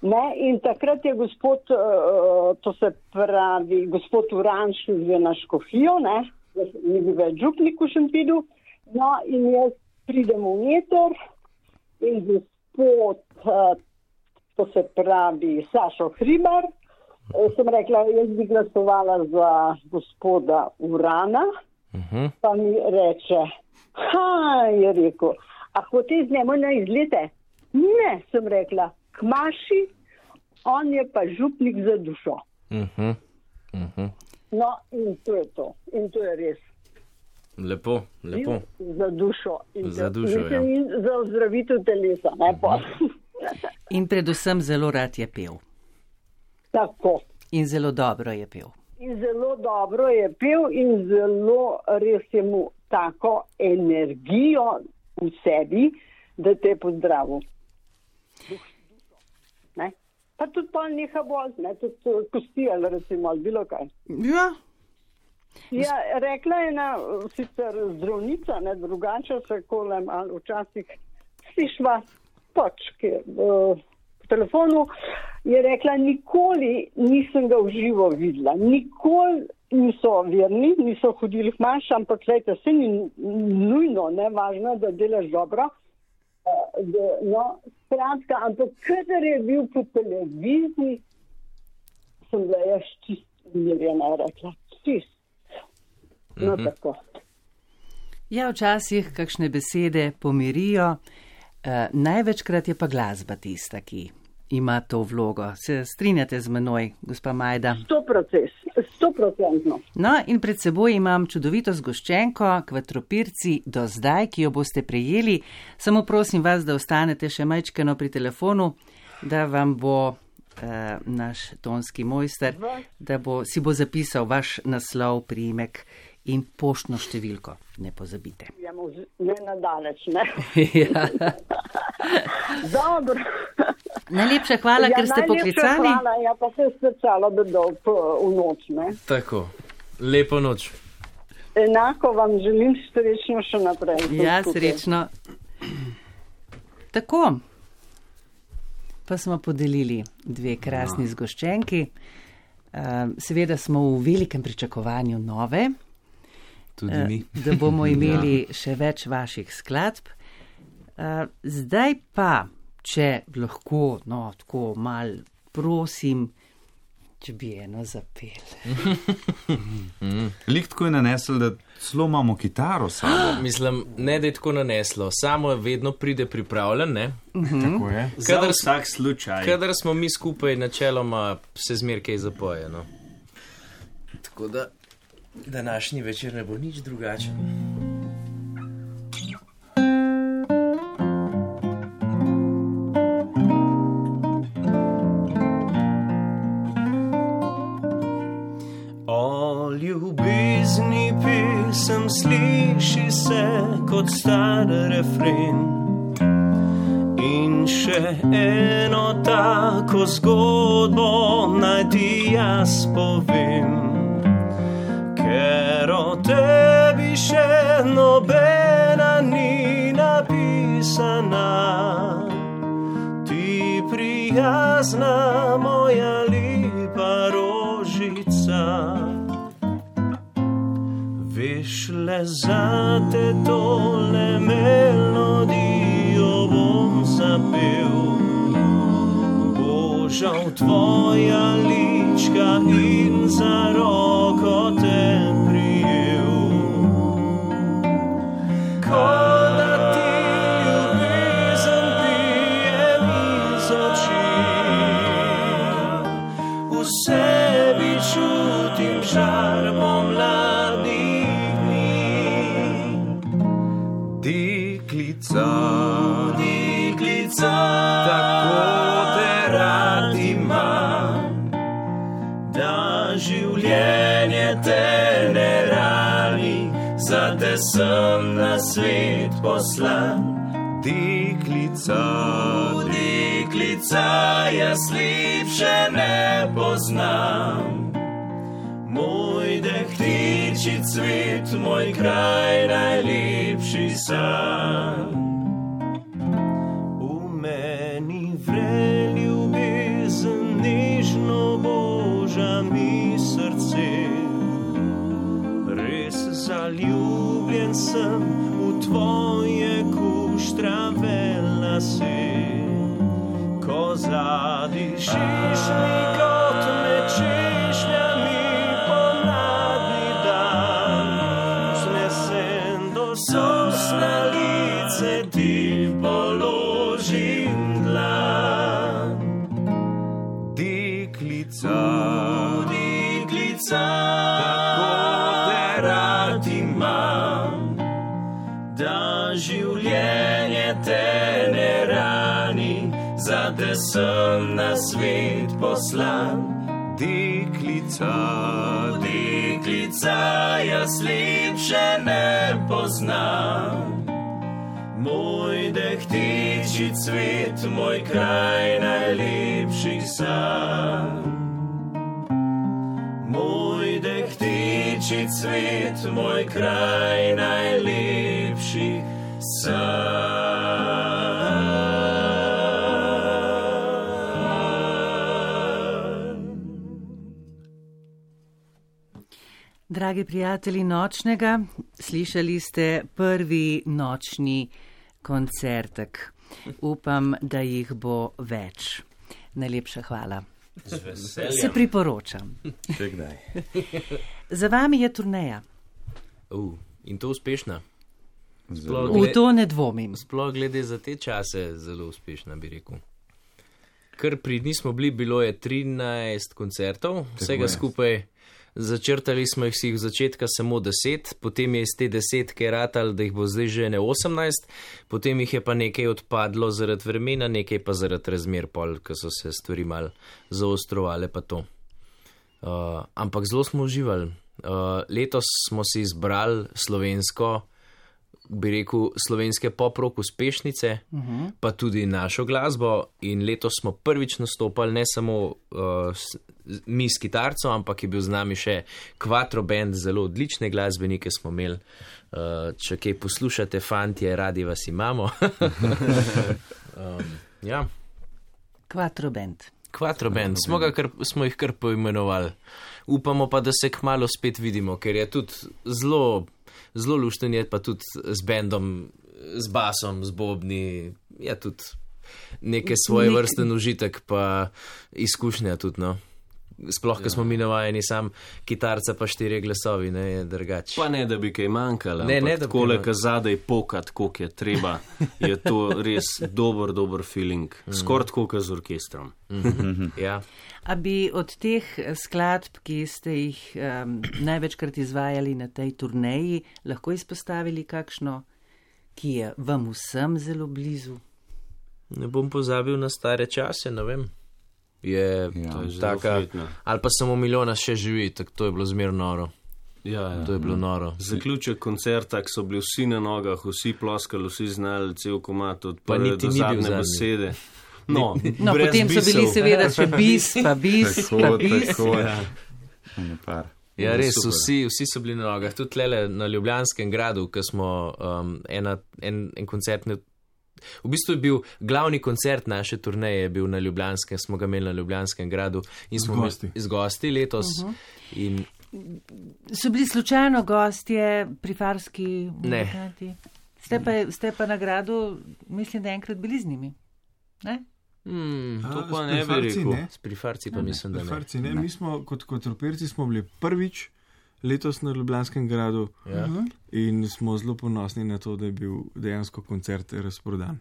Ne, in takrat je gospod, uh, to se pravi, gospod Uranš že na škofijo, ne, ni bil več župnik v Šentvidu, no in jaz pridem v meter in gospod, uh, to se pravi, Sašo Hribar, uh, sem rekla, jaz bi glasovala za gospoda Urana, uh-huh. Pa mi reče, ha, je rekel, a hote z njemu na izlete? Ne, sem rekla, kmaši, on je pa župnik za dušo. Uh-huh. Uh-huh. No, in to je to. In to je res. Lepo, lepo. Za dušo. In za dušo, ja. In za ozdravitev telesa, ne pa. In predvsem zelo rad je pel. Tako. In zelo dobro je pel. In zelo dobro je pel in zelo res je mu tako energijo v sebi, da te je pozdravil. Ne? Pa tudi pa neha bolj, ne, tudi kosti ali recimo, ali bilo kaj. Ja. Ja, rekla je na sicer zdravnica, ne, drugače se kolem, ali včasih slišva počke v telefonu, je rekla, nikoli nisem ga v živo videla, nikoli niso verni, niso hodili k maši, ampak gledajte, se ni nujno, ne, važno, da delaš dobro. Da, no, skratka, ampak kadar je bil po televiziji, sem bila jaz čist mirjena, rekla, čist. No, mm-hmm. Tako. Ja, včasih kakšne besede pomirijo, uh, največkrat je pa glasba tista, ki ima to vlogo. Se strinjate z menoj, gospa Majda? Sto proces, sto procentno. No, in pred seboj imam čudovito zgoščenko, Kvatropirci do zdaj, ki jo boste prejeli. Samo prosim vas, da ostanete še majčkeno pri telefonu, da vam bo uh, naš tonski mojster, da bo, si bo zapisal vaš naslov, priimek in poštno številko. Ne pozabite. Ja, ne nadaleč, ne? Ja. Dobro. Najlepša hvala, ja, ker ste poklicali. Hvala, ja, pa se je srcalo bedol v noč, ne? Tako, lepo noč. Enako vam želim srečno še naprej. Ja, srečno. Tako, pa smo podelili dve krasni no. zgoščenki. Uh, seveda smo v velikem pričakovanju nove, tudi mi. Uh, da bomo imeli ja. še več vaših skladb. Uh, zdaj pa, če lahko, no, tako mal prosim, če bi eno zapel. Lik tako je nanesel, da celo imamo kitaro samo. Mislim, ne da je tako naneslo, samo vedno pride pripravljen, ne? Uh-huh. Tako je. Kadar, za vsak slučaj. Kadar smo mi skupaj načeloma, se zmer kaj zapoje, no. Tako da današnji večer ne bo nič drugačen. Ljubezni pesem sliši se kot star refren in še eno tako zgodbo naj ti jaz povem, ker o tebi še nobena ni napisana. Ti prijazna moja lepa rožica, veš, le zate tole melodijo bom zapel. Božal tvoja lička in za roko te prijel. Ko da ti ljubezen pijem iz oči, v sebi čutim žar pomladnih dni. Deklica, deklica, tako te rad imam, da življenje te ne rani, zate sem na svet poslan. Deklica, deklica, jaz lepše ne poznam. Moj dehtiči cvet, moj kraj najlepši sam. V meni vre ljubezen, nežno boža mi srce. Res zaljubljen sem v tvoje kuštrave lase. Ko zadišiš mi kot med češnjami pomladni dan, znesen do sosna lice ti položim dlan. Deklica, deklica, tako te rad imam, da življenje te ne rani, zate sem na svet poslan. Deklica, deklica, jaz lepše ne poznam. Moj dehtiči cvet, moj kraj najlepših sanj. Moj dehtiči cvet, moj kraj najlepših sanj. Dragi prijatelji Nočnega, slišali ste prvi nočni koncertek. Upam, da jih bo več. Najlepša hvala. Se priporočam. Še kdaj. Za vami je turneja. Uh, in to uspešna. Sploh v to ne dvomim. Sploh glede za te čase zelo uspešna, bi rekel. Kar pridni smo bili, bilo je trinajst koncertov, vsega skupaj. Začrtali smo jih si v začetka samo deset, potem je iz te desetke ratal, da jih bo zdaj že ne osemnajst, potem jih je pa nekaj odpadlo zaradi vremena, nekaj pa zaradi razmer pol, ko so se stvari mal zaostrovale pa to. Uh, ampak zelo smo uživali. Uh, letos smo si izbrali slovensko, bi rekel, slovenske pop-rock uspešnice, uh-huh. pa tudi našo glasbo in letos smo prvič nastopali ne samo uh, mi s kitarco, ampak je bil z nami še Quattro Band, zelo odlične glasbenike smo imeli. Uh, če kaj poslušate, fantje, radi vas imamo. um, ja. Quattro Band. Quattro Band, smo, ga kar, smo jih kar poimenovali. Upamo pa, da se kmalo spet vidimo, ker je tudi zelo, zelo lušten je pa tudi z bandom, z basom, z bobni, je tudi neke svoje vrsten užitek pa izkušnja tudi, no. Sploh, ko smo mi navajeni sam kitarca pa štiri glasovi, ne, je drugače. Pa ne, da bi kaj manjkalo, ampak takole, ko zadaj pokat, koliko je treba, je to res dober, dober feeling. Skoraj tako, kot z orkestrom. Ja. A bi od teh skladb, ki ste jih um, največkrat izvajali na tej turneji, lahko izpostavili kakšno, ki je vam vsem zelo blizu? Ne bom pozabil na stare čase, ne vem. Je, ja, je taka, ali pa samo milijona še živi, tako to je bilo zmer noro. Ja, ja. To je bilo noro. Zaključek koncerta, so bili vsi na nogah, vsi ploskali, vsi znali cel komat od prve do zadnje besede. No, no potem bisov. So bili seveda še bis, pa bis, tako, pa bis. Tako, ja. ja. Ja, res, vsi, vsi so bili na nogah, tudi lele na Ljubljanskem gradu, ko smo um, ena, en, en koncert, ne, v bistvu je bil glavni koncert naše turneje, je bil na Ljubljanskem, smo ga imeli na Ljubljanskem gradu in smo gosti. z gosti letos. Uh-huh. In so bili slučajno gostje pri Farski muzikanti? Ste pa, ste pa na gradu, mislim, da enkrat bili z njimi, ne? Hmm, to A, pa s ne bi Prifarci rekel. ne. S Prifarci pa mislim, da ne. Prifarci ne. Mi smo kot Kvadropirci smo bili prvič letos na Ljubljanskem gradu Ja. in smo zelo ponosni na to, da je bil dejansko koncert razprodan.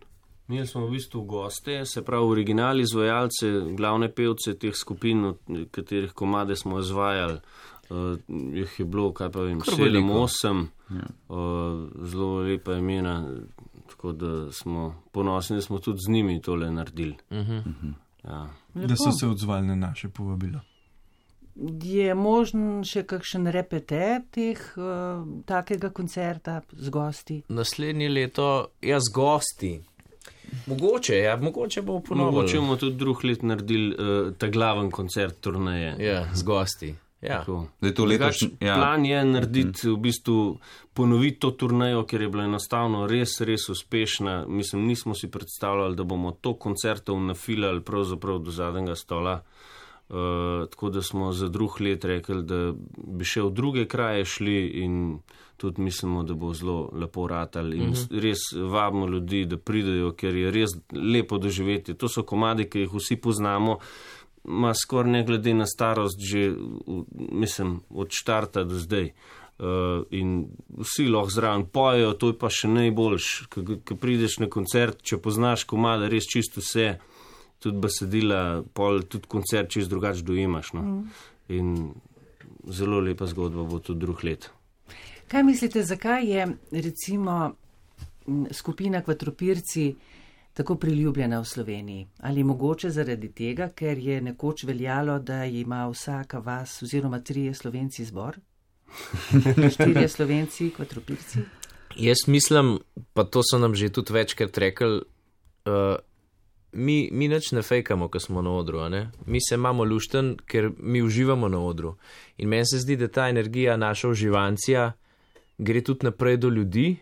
Mi smo v bistvu goste, se pravi originali izvajalce, glavne pevce teh skupin, od katerih komade smo izvajali. Uh, jih je bilo, kaj pa vem, sedem, osem, Ja. uh, zelo lepa imena, tako da smo ponosni, da smo tudi z njimi tole naredili. Uh-huh. Ja. Da so se odzvali na naše povabilo. Je možen še kakšen repete teh uh, takega koncerta z gosti? Naslednje leto, ja, z gosti. Mogoče, ja, mogoče bo ponovno. Mogoče bomo tudi drug let naredili uh, ta glaven koncert turneje. Ja, z gosti. Ja. Da je to letošnji, ja. Plan je narediti, v bistvu ponoviti to turnejo, ker je bila enostavno res, res uspešna. Mislim, nismo si predstavljali, da bomo to koncertov nafilali pravzaprav do zadnjega stola. Uh, tako da smo za drug let rekli, da bi še v druge kraje šli in tudi mislimo, da bo zelo lepo ratal in uh-huh. res vabimo ljudi, da pridejo, ker je res lepo doživeti. To so komadi, ki jih vsi poznamo, ma skoraj ne glede na starost že, mislim, od štarta do zdaj. Uh, in vsi lahko zraven pojejo, to je pa še najboljš, ko prideš na koncert, če poznaš komade, res čisto vse, tudi besedila, pol, tudi koncert čist drugače dojemaš. No? Mm. In zelo lepa zgodba bo tudi drug let. Kaj mislite, zakaj je recimo skupina Kvadropirci tako priljubljena v Sloveniji? Ali mogoče zaradi tega, ker je nekoč veljalo, da ima vsaka vas oziroma trije Slovenci zbor? Štirje Slovenci, Kvadropirci? Jaz mislim, pa to so nam že tudi večkrat rekli, uh, Mi, mi nič ne fejkamo, ko smo na odru, ne? Mi se imamo lušten, ker mi uživamo na odru. In meni se zdi, da ta energija, naša uživancija, gre tudi naprej do ljudi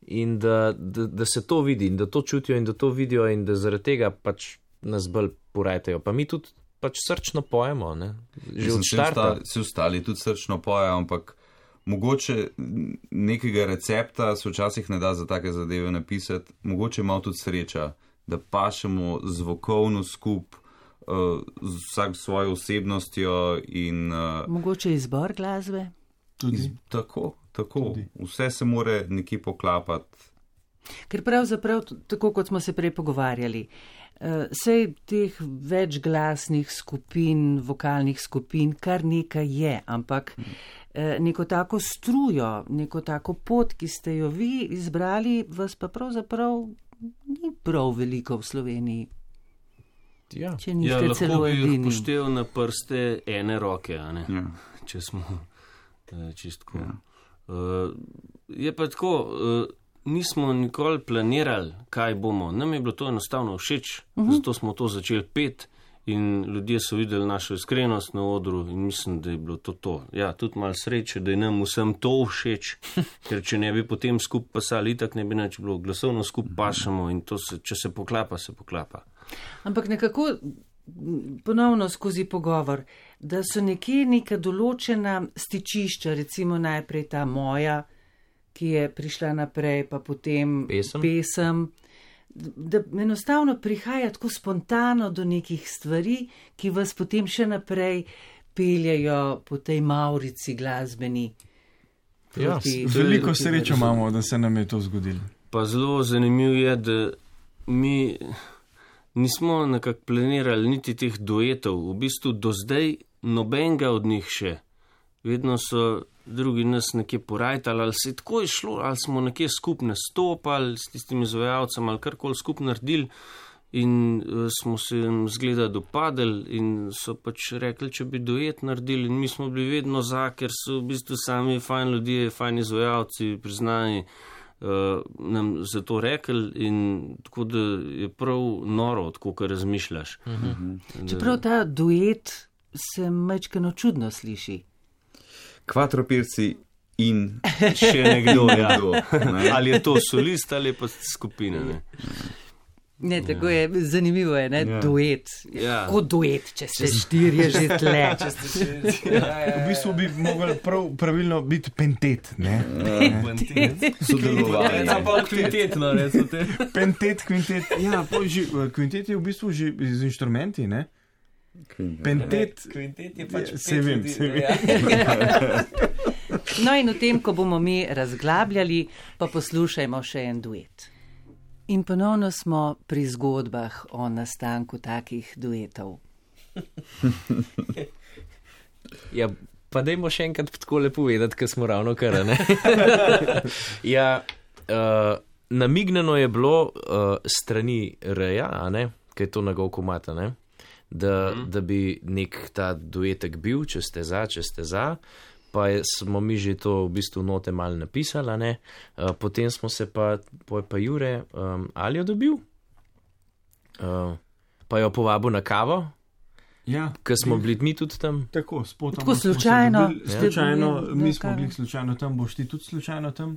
in da, da, da se to vidi in da to čutijo in da to vidijo in da zaradi tega pač nas bolj porajtajo. Pa mi tudi pač srčno pojemo, ne? Že od štarta. Vsi ostali tudi srčno pojejo, ampak mogoče nekega recepta se včasih ne da za take zadeve napisati, mogoče malo tudi sreča, da pašemo zvokovno skup, uh, z vsak svojo osebnostjo in... Uh, mogoče izbor glasbe? Tudi. Iz, tako, tako. Tudi. Vse se more nekje poklapati. Ker pravzaprav, tako kot smo se prej pogovarjali, uh, sej teh večglasnih skupin, vokalnih skupin, kar nekaj je, ampak hmm. uh, neko tako strujo, neko tako pot, ki ste jo vi izbrali, vas pa pravzaprav ni prav veliko v Sloveniji. Ja, če niste ja, celo edini. Lahko bi poštev na prste ene roke, a ne? Ja. Če smo čistko. Ja. Uh, je pa tako, uh, nismo nikoli planirali, kaj bomo. Nam je bilo to enostavno všeč, uh-huh. zato smo to začeli pet in ljudje so videli našo iskrenost na odru in mislim, da je bilo to to. Ja, tudi malo sreče, da je nam vsem to všeč, ker če ne bi potem skup pasali, itak ne bi nič bilo, glasovno skup pašamo in to se, če se poklapa, se poklapa. Ampak nekako ponovno skozi pogovor, da so nekje neka določena stičišča, recimo najprej ta moja, ki je prišla naprej, pa potem pesem, pesem da enostavno prihaja tako spontano do nekih stvari, ki vas potem še naprej peljajo po tej maurici glasbeni. Ja, veliko srečo imamo, da se nam je to zgodilo. Pa zelo zanimivo je, da mi nismo nekako planirali niti teh duetov, v bistvu do zdaj nobenega od njih še. Vedno so drugi nas nekje porajtali, ali se je tako je šlo, ali smo nekje skupaj nastopali s tistimi izvajalcem, ali karkoli skupaj naredili in uh, smo se jim zgleda dopadali in so pač rekli, če bi duet naredili in mi smo bili vedno za, ker so v bistvu sami fajn ljudje, fajn izvajalci, priznani, uh, nam za to rekli in tako da je prav noro, tako kar razmišljaš. Uh-huh. Da... Čeprav ta duet se majčkeno čudno sliši. Kvadropirci in še nekdo, ja. nekdo. Ne? Ali je to solist ali pa skupina, ne? Ne, tako je, zanimivo je, ne, Ja. duet. Ja. Kot duet, če ste štirje že tle. V bistvu bi mogel prav, pravilno biti pentet, ne? Sodelovanje. Kvintetno, recimo te. Pentet, kvintet, ja, pol že, kvintet je v bistvu že z inštrumenti, ne? Pentet, Kvintet je pač se vem, se vem. No in v tem, ko bomo mi razglabljali, pa poslušajmo še en duet. In ponovno smo pri zgodbah o nastanku takih duetov. Ja, pa dajmo še enkrat tako lepo povedati, ker smo ravno kar, ne? Ja, uh, namigneno je bilo uh, strani Reja, a ne, kaj je to na Govkomata, ne, da, mm. da bi nek ta duetek bil, če ste za, če ste za, pa je, smo mi že to v bistvu note malo napisali, ne, uh, potem smo se pa, pa, pa Jure um, Aljo dobil, uh, pa jo povabil na kavo. Ja, ker smo bili mi tudi tam. Tako, spotoma. Tako slučajno. Slučajno, Ja. mi smo bili slučajno tam, boš ti tudi slučajno tam.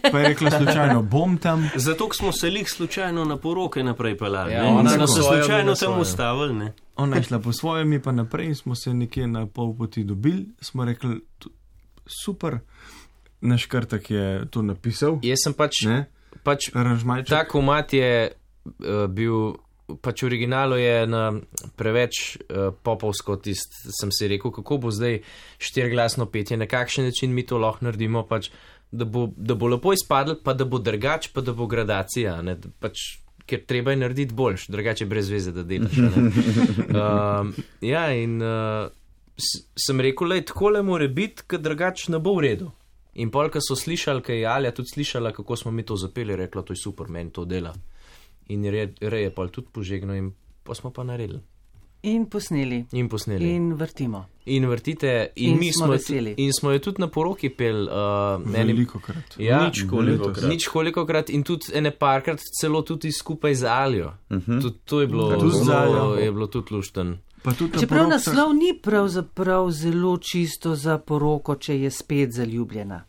Pa je rekla slučajno, bom tam. Zato smo se lih slučajno na poroke naprej pelali. Ja, ne? ona smo na se svojo, slučajno mi na tam svojo. ustavili. Ne? Ona je šla po svojem, mi pa naprej in smo se nekje na pol poti dobili. Smo rekli, tu- super, naš krtak je to napisal. Jaz sem pač, Ne? pač Aranžmajček. ta komat je uh, bil, pač v originalu je na preveč uh, popovsko tist, sem si rekel, kako bo zdaj štirglasno petje, na kakšen način mi to lahko naredimo, pač, da, bo, da bo lepo izpadlo, pa da bo drugač, pa da bo gradacija, ne, da pač, ker treba je narediti boljš, drugače je brez veze, da delaš. a ne. Um, ja, in uh, s- sem rekel, lej, takole more biti, ker drugač ne bo v redu. In pol, ko so slišali, kaj je Alja tudi slišala, kako smo mi to zapeli, rekla, to je super, meni to dela. In Rej Rej je pol tudi požegnal in pa smo pa naredili. In posneli. In posneli. In, In vrtimo. in vrtite, in, In mi smo smo, veseli. tu- in smo jo tudi na poroki pel. Uh, eni- Veliko krat. Ja, Nič kolikokrat. Nič kolikokrat in tudi ene parkrat celo tudi skupaj z Aljo. Uh -huh. Tudi to je bilo, Tudi z Aljo. zelo, je bilo tudi lušten. Pa tudi na Čeprav porokah- naslov ni pravzaprav zelo čisto za poroko, če je spet zaljubljena.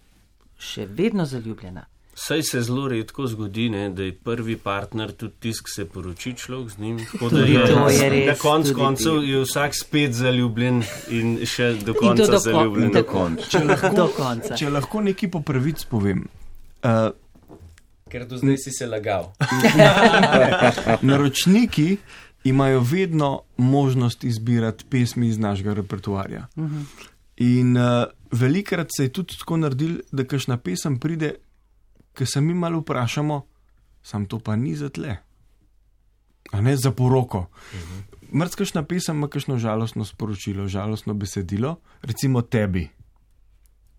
Še vedno zaljubljena. Saj se zelo redko zgodi, ne, da je prvi partner tudi tisk se poroči človek z njim. Tako da Tudi je, to je res, na koncu tudi koncev je vsak spet zaljubljen in še do In to konca do, zaljubljen. kon, do konca. Če lahko, do konca. če lahko nekaj po pravic povem. Uh, Ker do zdaj si se lagal. naročniki imajo vedno možnost izbirati pesmi iz našega repertoarja. Uh-huh. In uh, velikrat se je tudi tako naredil, da kakšna pesem pride, ki se mi malo vprašamo, sam to pa ni za tle. A ne za poroko. Uh-huh. Mrzkašna pesem ima kakšno žalostno sporočilo, žalostno besedilo, recimo tebi.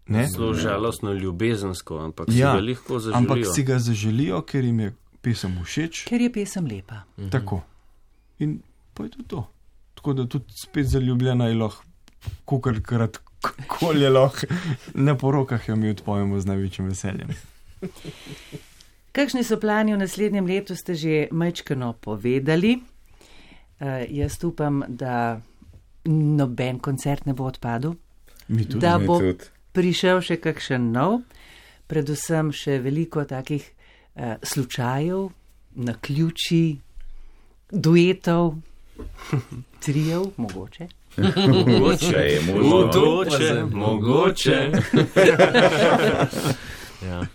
Ne? Zelo žalostno, ljubezensko, ampak Ja, si ga lahko zaželijo. ampak si ga zaželijo, ker jim je pesem všeč. Ker je pesem lepa. Mhm. Tako. In pa je to to. Tako da tudi spet zaljubljena je lahko, kolikrat koli je lahko, na porokah jo mi odpojemo z največjim veseljem. Kakšni so plani v naslednjem letu, ste že majčkano povedali. Uh, jaz upam, da noben koncert ne bo odpadel, Mi tudi. da mi bo tudi. prišel še kakšen nov, predvsem še veliko takih uh, slučajev, naključij, duetov, trijev, mogoče. Mogoče je možno. Mogoče, mogoče. Ja.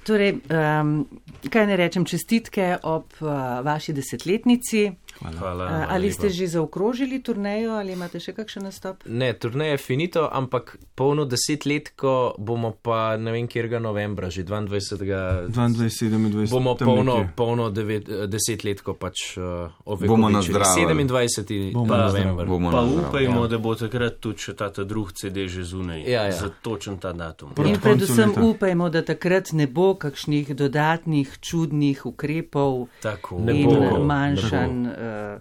Torej, um, kaj ne rečem, čestitke ob uh, vaši desetletnici. Hvala. Uh, hvala ali lepa. ste že zaokrožili turnejo ali imate še kakšen nastop? Ne, turneja je finito, ampak polno desetletko bomo pa ne vem, kjerga novembra, že dvaindvajsetega dvaindvajset sedemindvajset bomo tam polno, nekje. polno devet, desetletko pač uh, ovekovečili. Bomo nazdravili. sedemindvajseti Bomo november. Bomo Pa na zdravo. upajmo, Ja. da bo takrat tudi še ta, ta drug C D že zunaj. Ja, ja. Za točen ta datum. Proti In koncu predvsem leta. upajmo, da takrat ne bo kakšnih dodatnih čudnih ukrepov Tako. Ne in bo, manjšanj uh,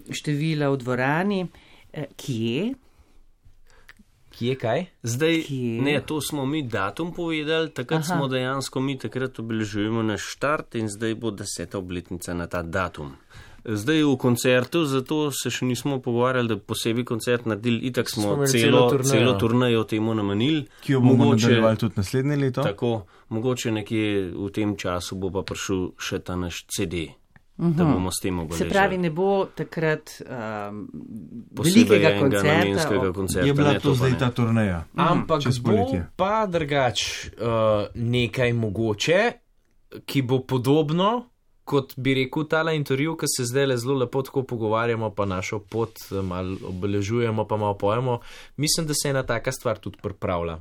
števila v dvorani. Uh, kje? Kje kaj? Zdaj, Kje? ne, to smo mi datum povedali, takrat Aha. smo dejansko mi takrat obeležujemo naš štart in zdaj bo deseta obletnica na ta datum. Zdaj v koncertu, zato se še nismo pogovarjali, da posebej koncert naredili, itak smo, Smo imeli celo, celo turnejo. celo turnejo temu namenili. Ki jo bomo nadaljevali tudi naslednje leto. Tako, mogoče nekje v tem času bo pa prišel še ta naš C D, da bomo s tem obeležili. Se pravi, ne bo takrat um, Posebej velikega enega koncerta. namenskega koncerta. Je bila ne, to pa zdaj ne. ta turneja. Ampak čez bo poletje. pa drugač uh, nekaj mogoče, ki bo podobno, kot bi rekel tale intervju, ki se zdaj le zelo lepo tako pogovarjamo, pa našo pot eh, malo obeležujemo, pa malo pojemo. Mislim, da se ena taka stvar tudi pripravlja.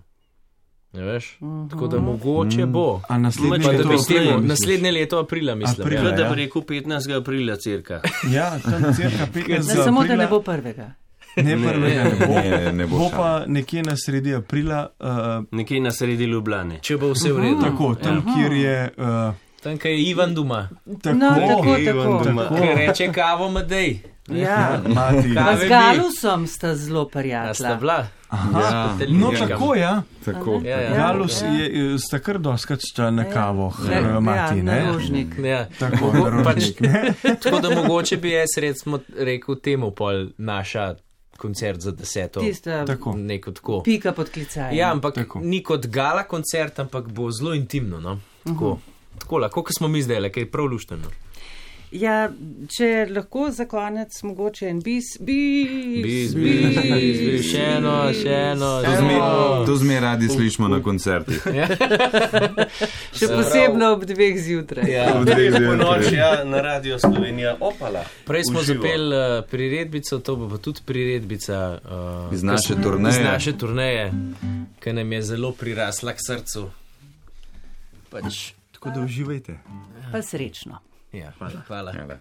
Ne veš? Mhm. Tako da mogoče bo. A naslednje Pa da leto bi S tem, aprila, misliš? naslednje leto aprila, mislim. Aprila, ja. Kot da ja. bi rekel petnajstega aprila cirka. Ja, tam cirka Ne, petnajstega samo da aprila. ne bo prvega. Ne, prvega ne bo. Ne, ne bo Bo šala. pa nekje na sredi aprila, uh, Nekje na sredi Ljubljane. Če bo vse v redu. tako, tam, kjer je. Uh, Tam, kaj je Ivan doma, tako, No, tako, Ivan tako. doma. ki reče kavo Madej. Ja. mati. Ka- Pa Kave z bi. Galusom sta zelo A sta prijatelja. bila? Aha, Ja, no ja. tako, ja. Tako. Ja, ja. Galus ja. je, sta kar doskrat šla na kavo, Ja, ja, mati, ja, ne? narožnik. Ja. Tako, Mogo- naročnik, ne? Tako da mogoče bi jaz recimo rekel temu pol naša koncert za deseto. Tista Tako. Neko tako. pika pod klicajem. Ja, ampak Tako. ni kot gala koncert, ampak bo zelo intimno. No? Tako. Tako, lahko, kot smo mi zdaj, kaj je prav lušteno. Ja, če lahko za konec mogoče en bis, bis, Bis, bis, bis, bis, še eno, še eno. To zmer, to zmer radi slišimo na koncertih. še posebno ob dveh zjutraj. Ja. V dveh Po zjutraj. noči, ja, na Radio Slovenija, opala. Prej smo Uživo. zapeli uh, priredbico, to bo pa tudi priredbica uh, Iz naše iz turneje. naše turneje, ki nam je zelo prirasla k srcu. Pač, Tako da uživajte. Pa srečno. ja, hvala. hvala. Hvala.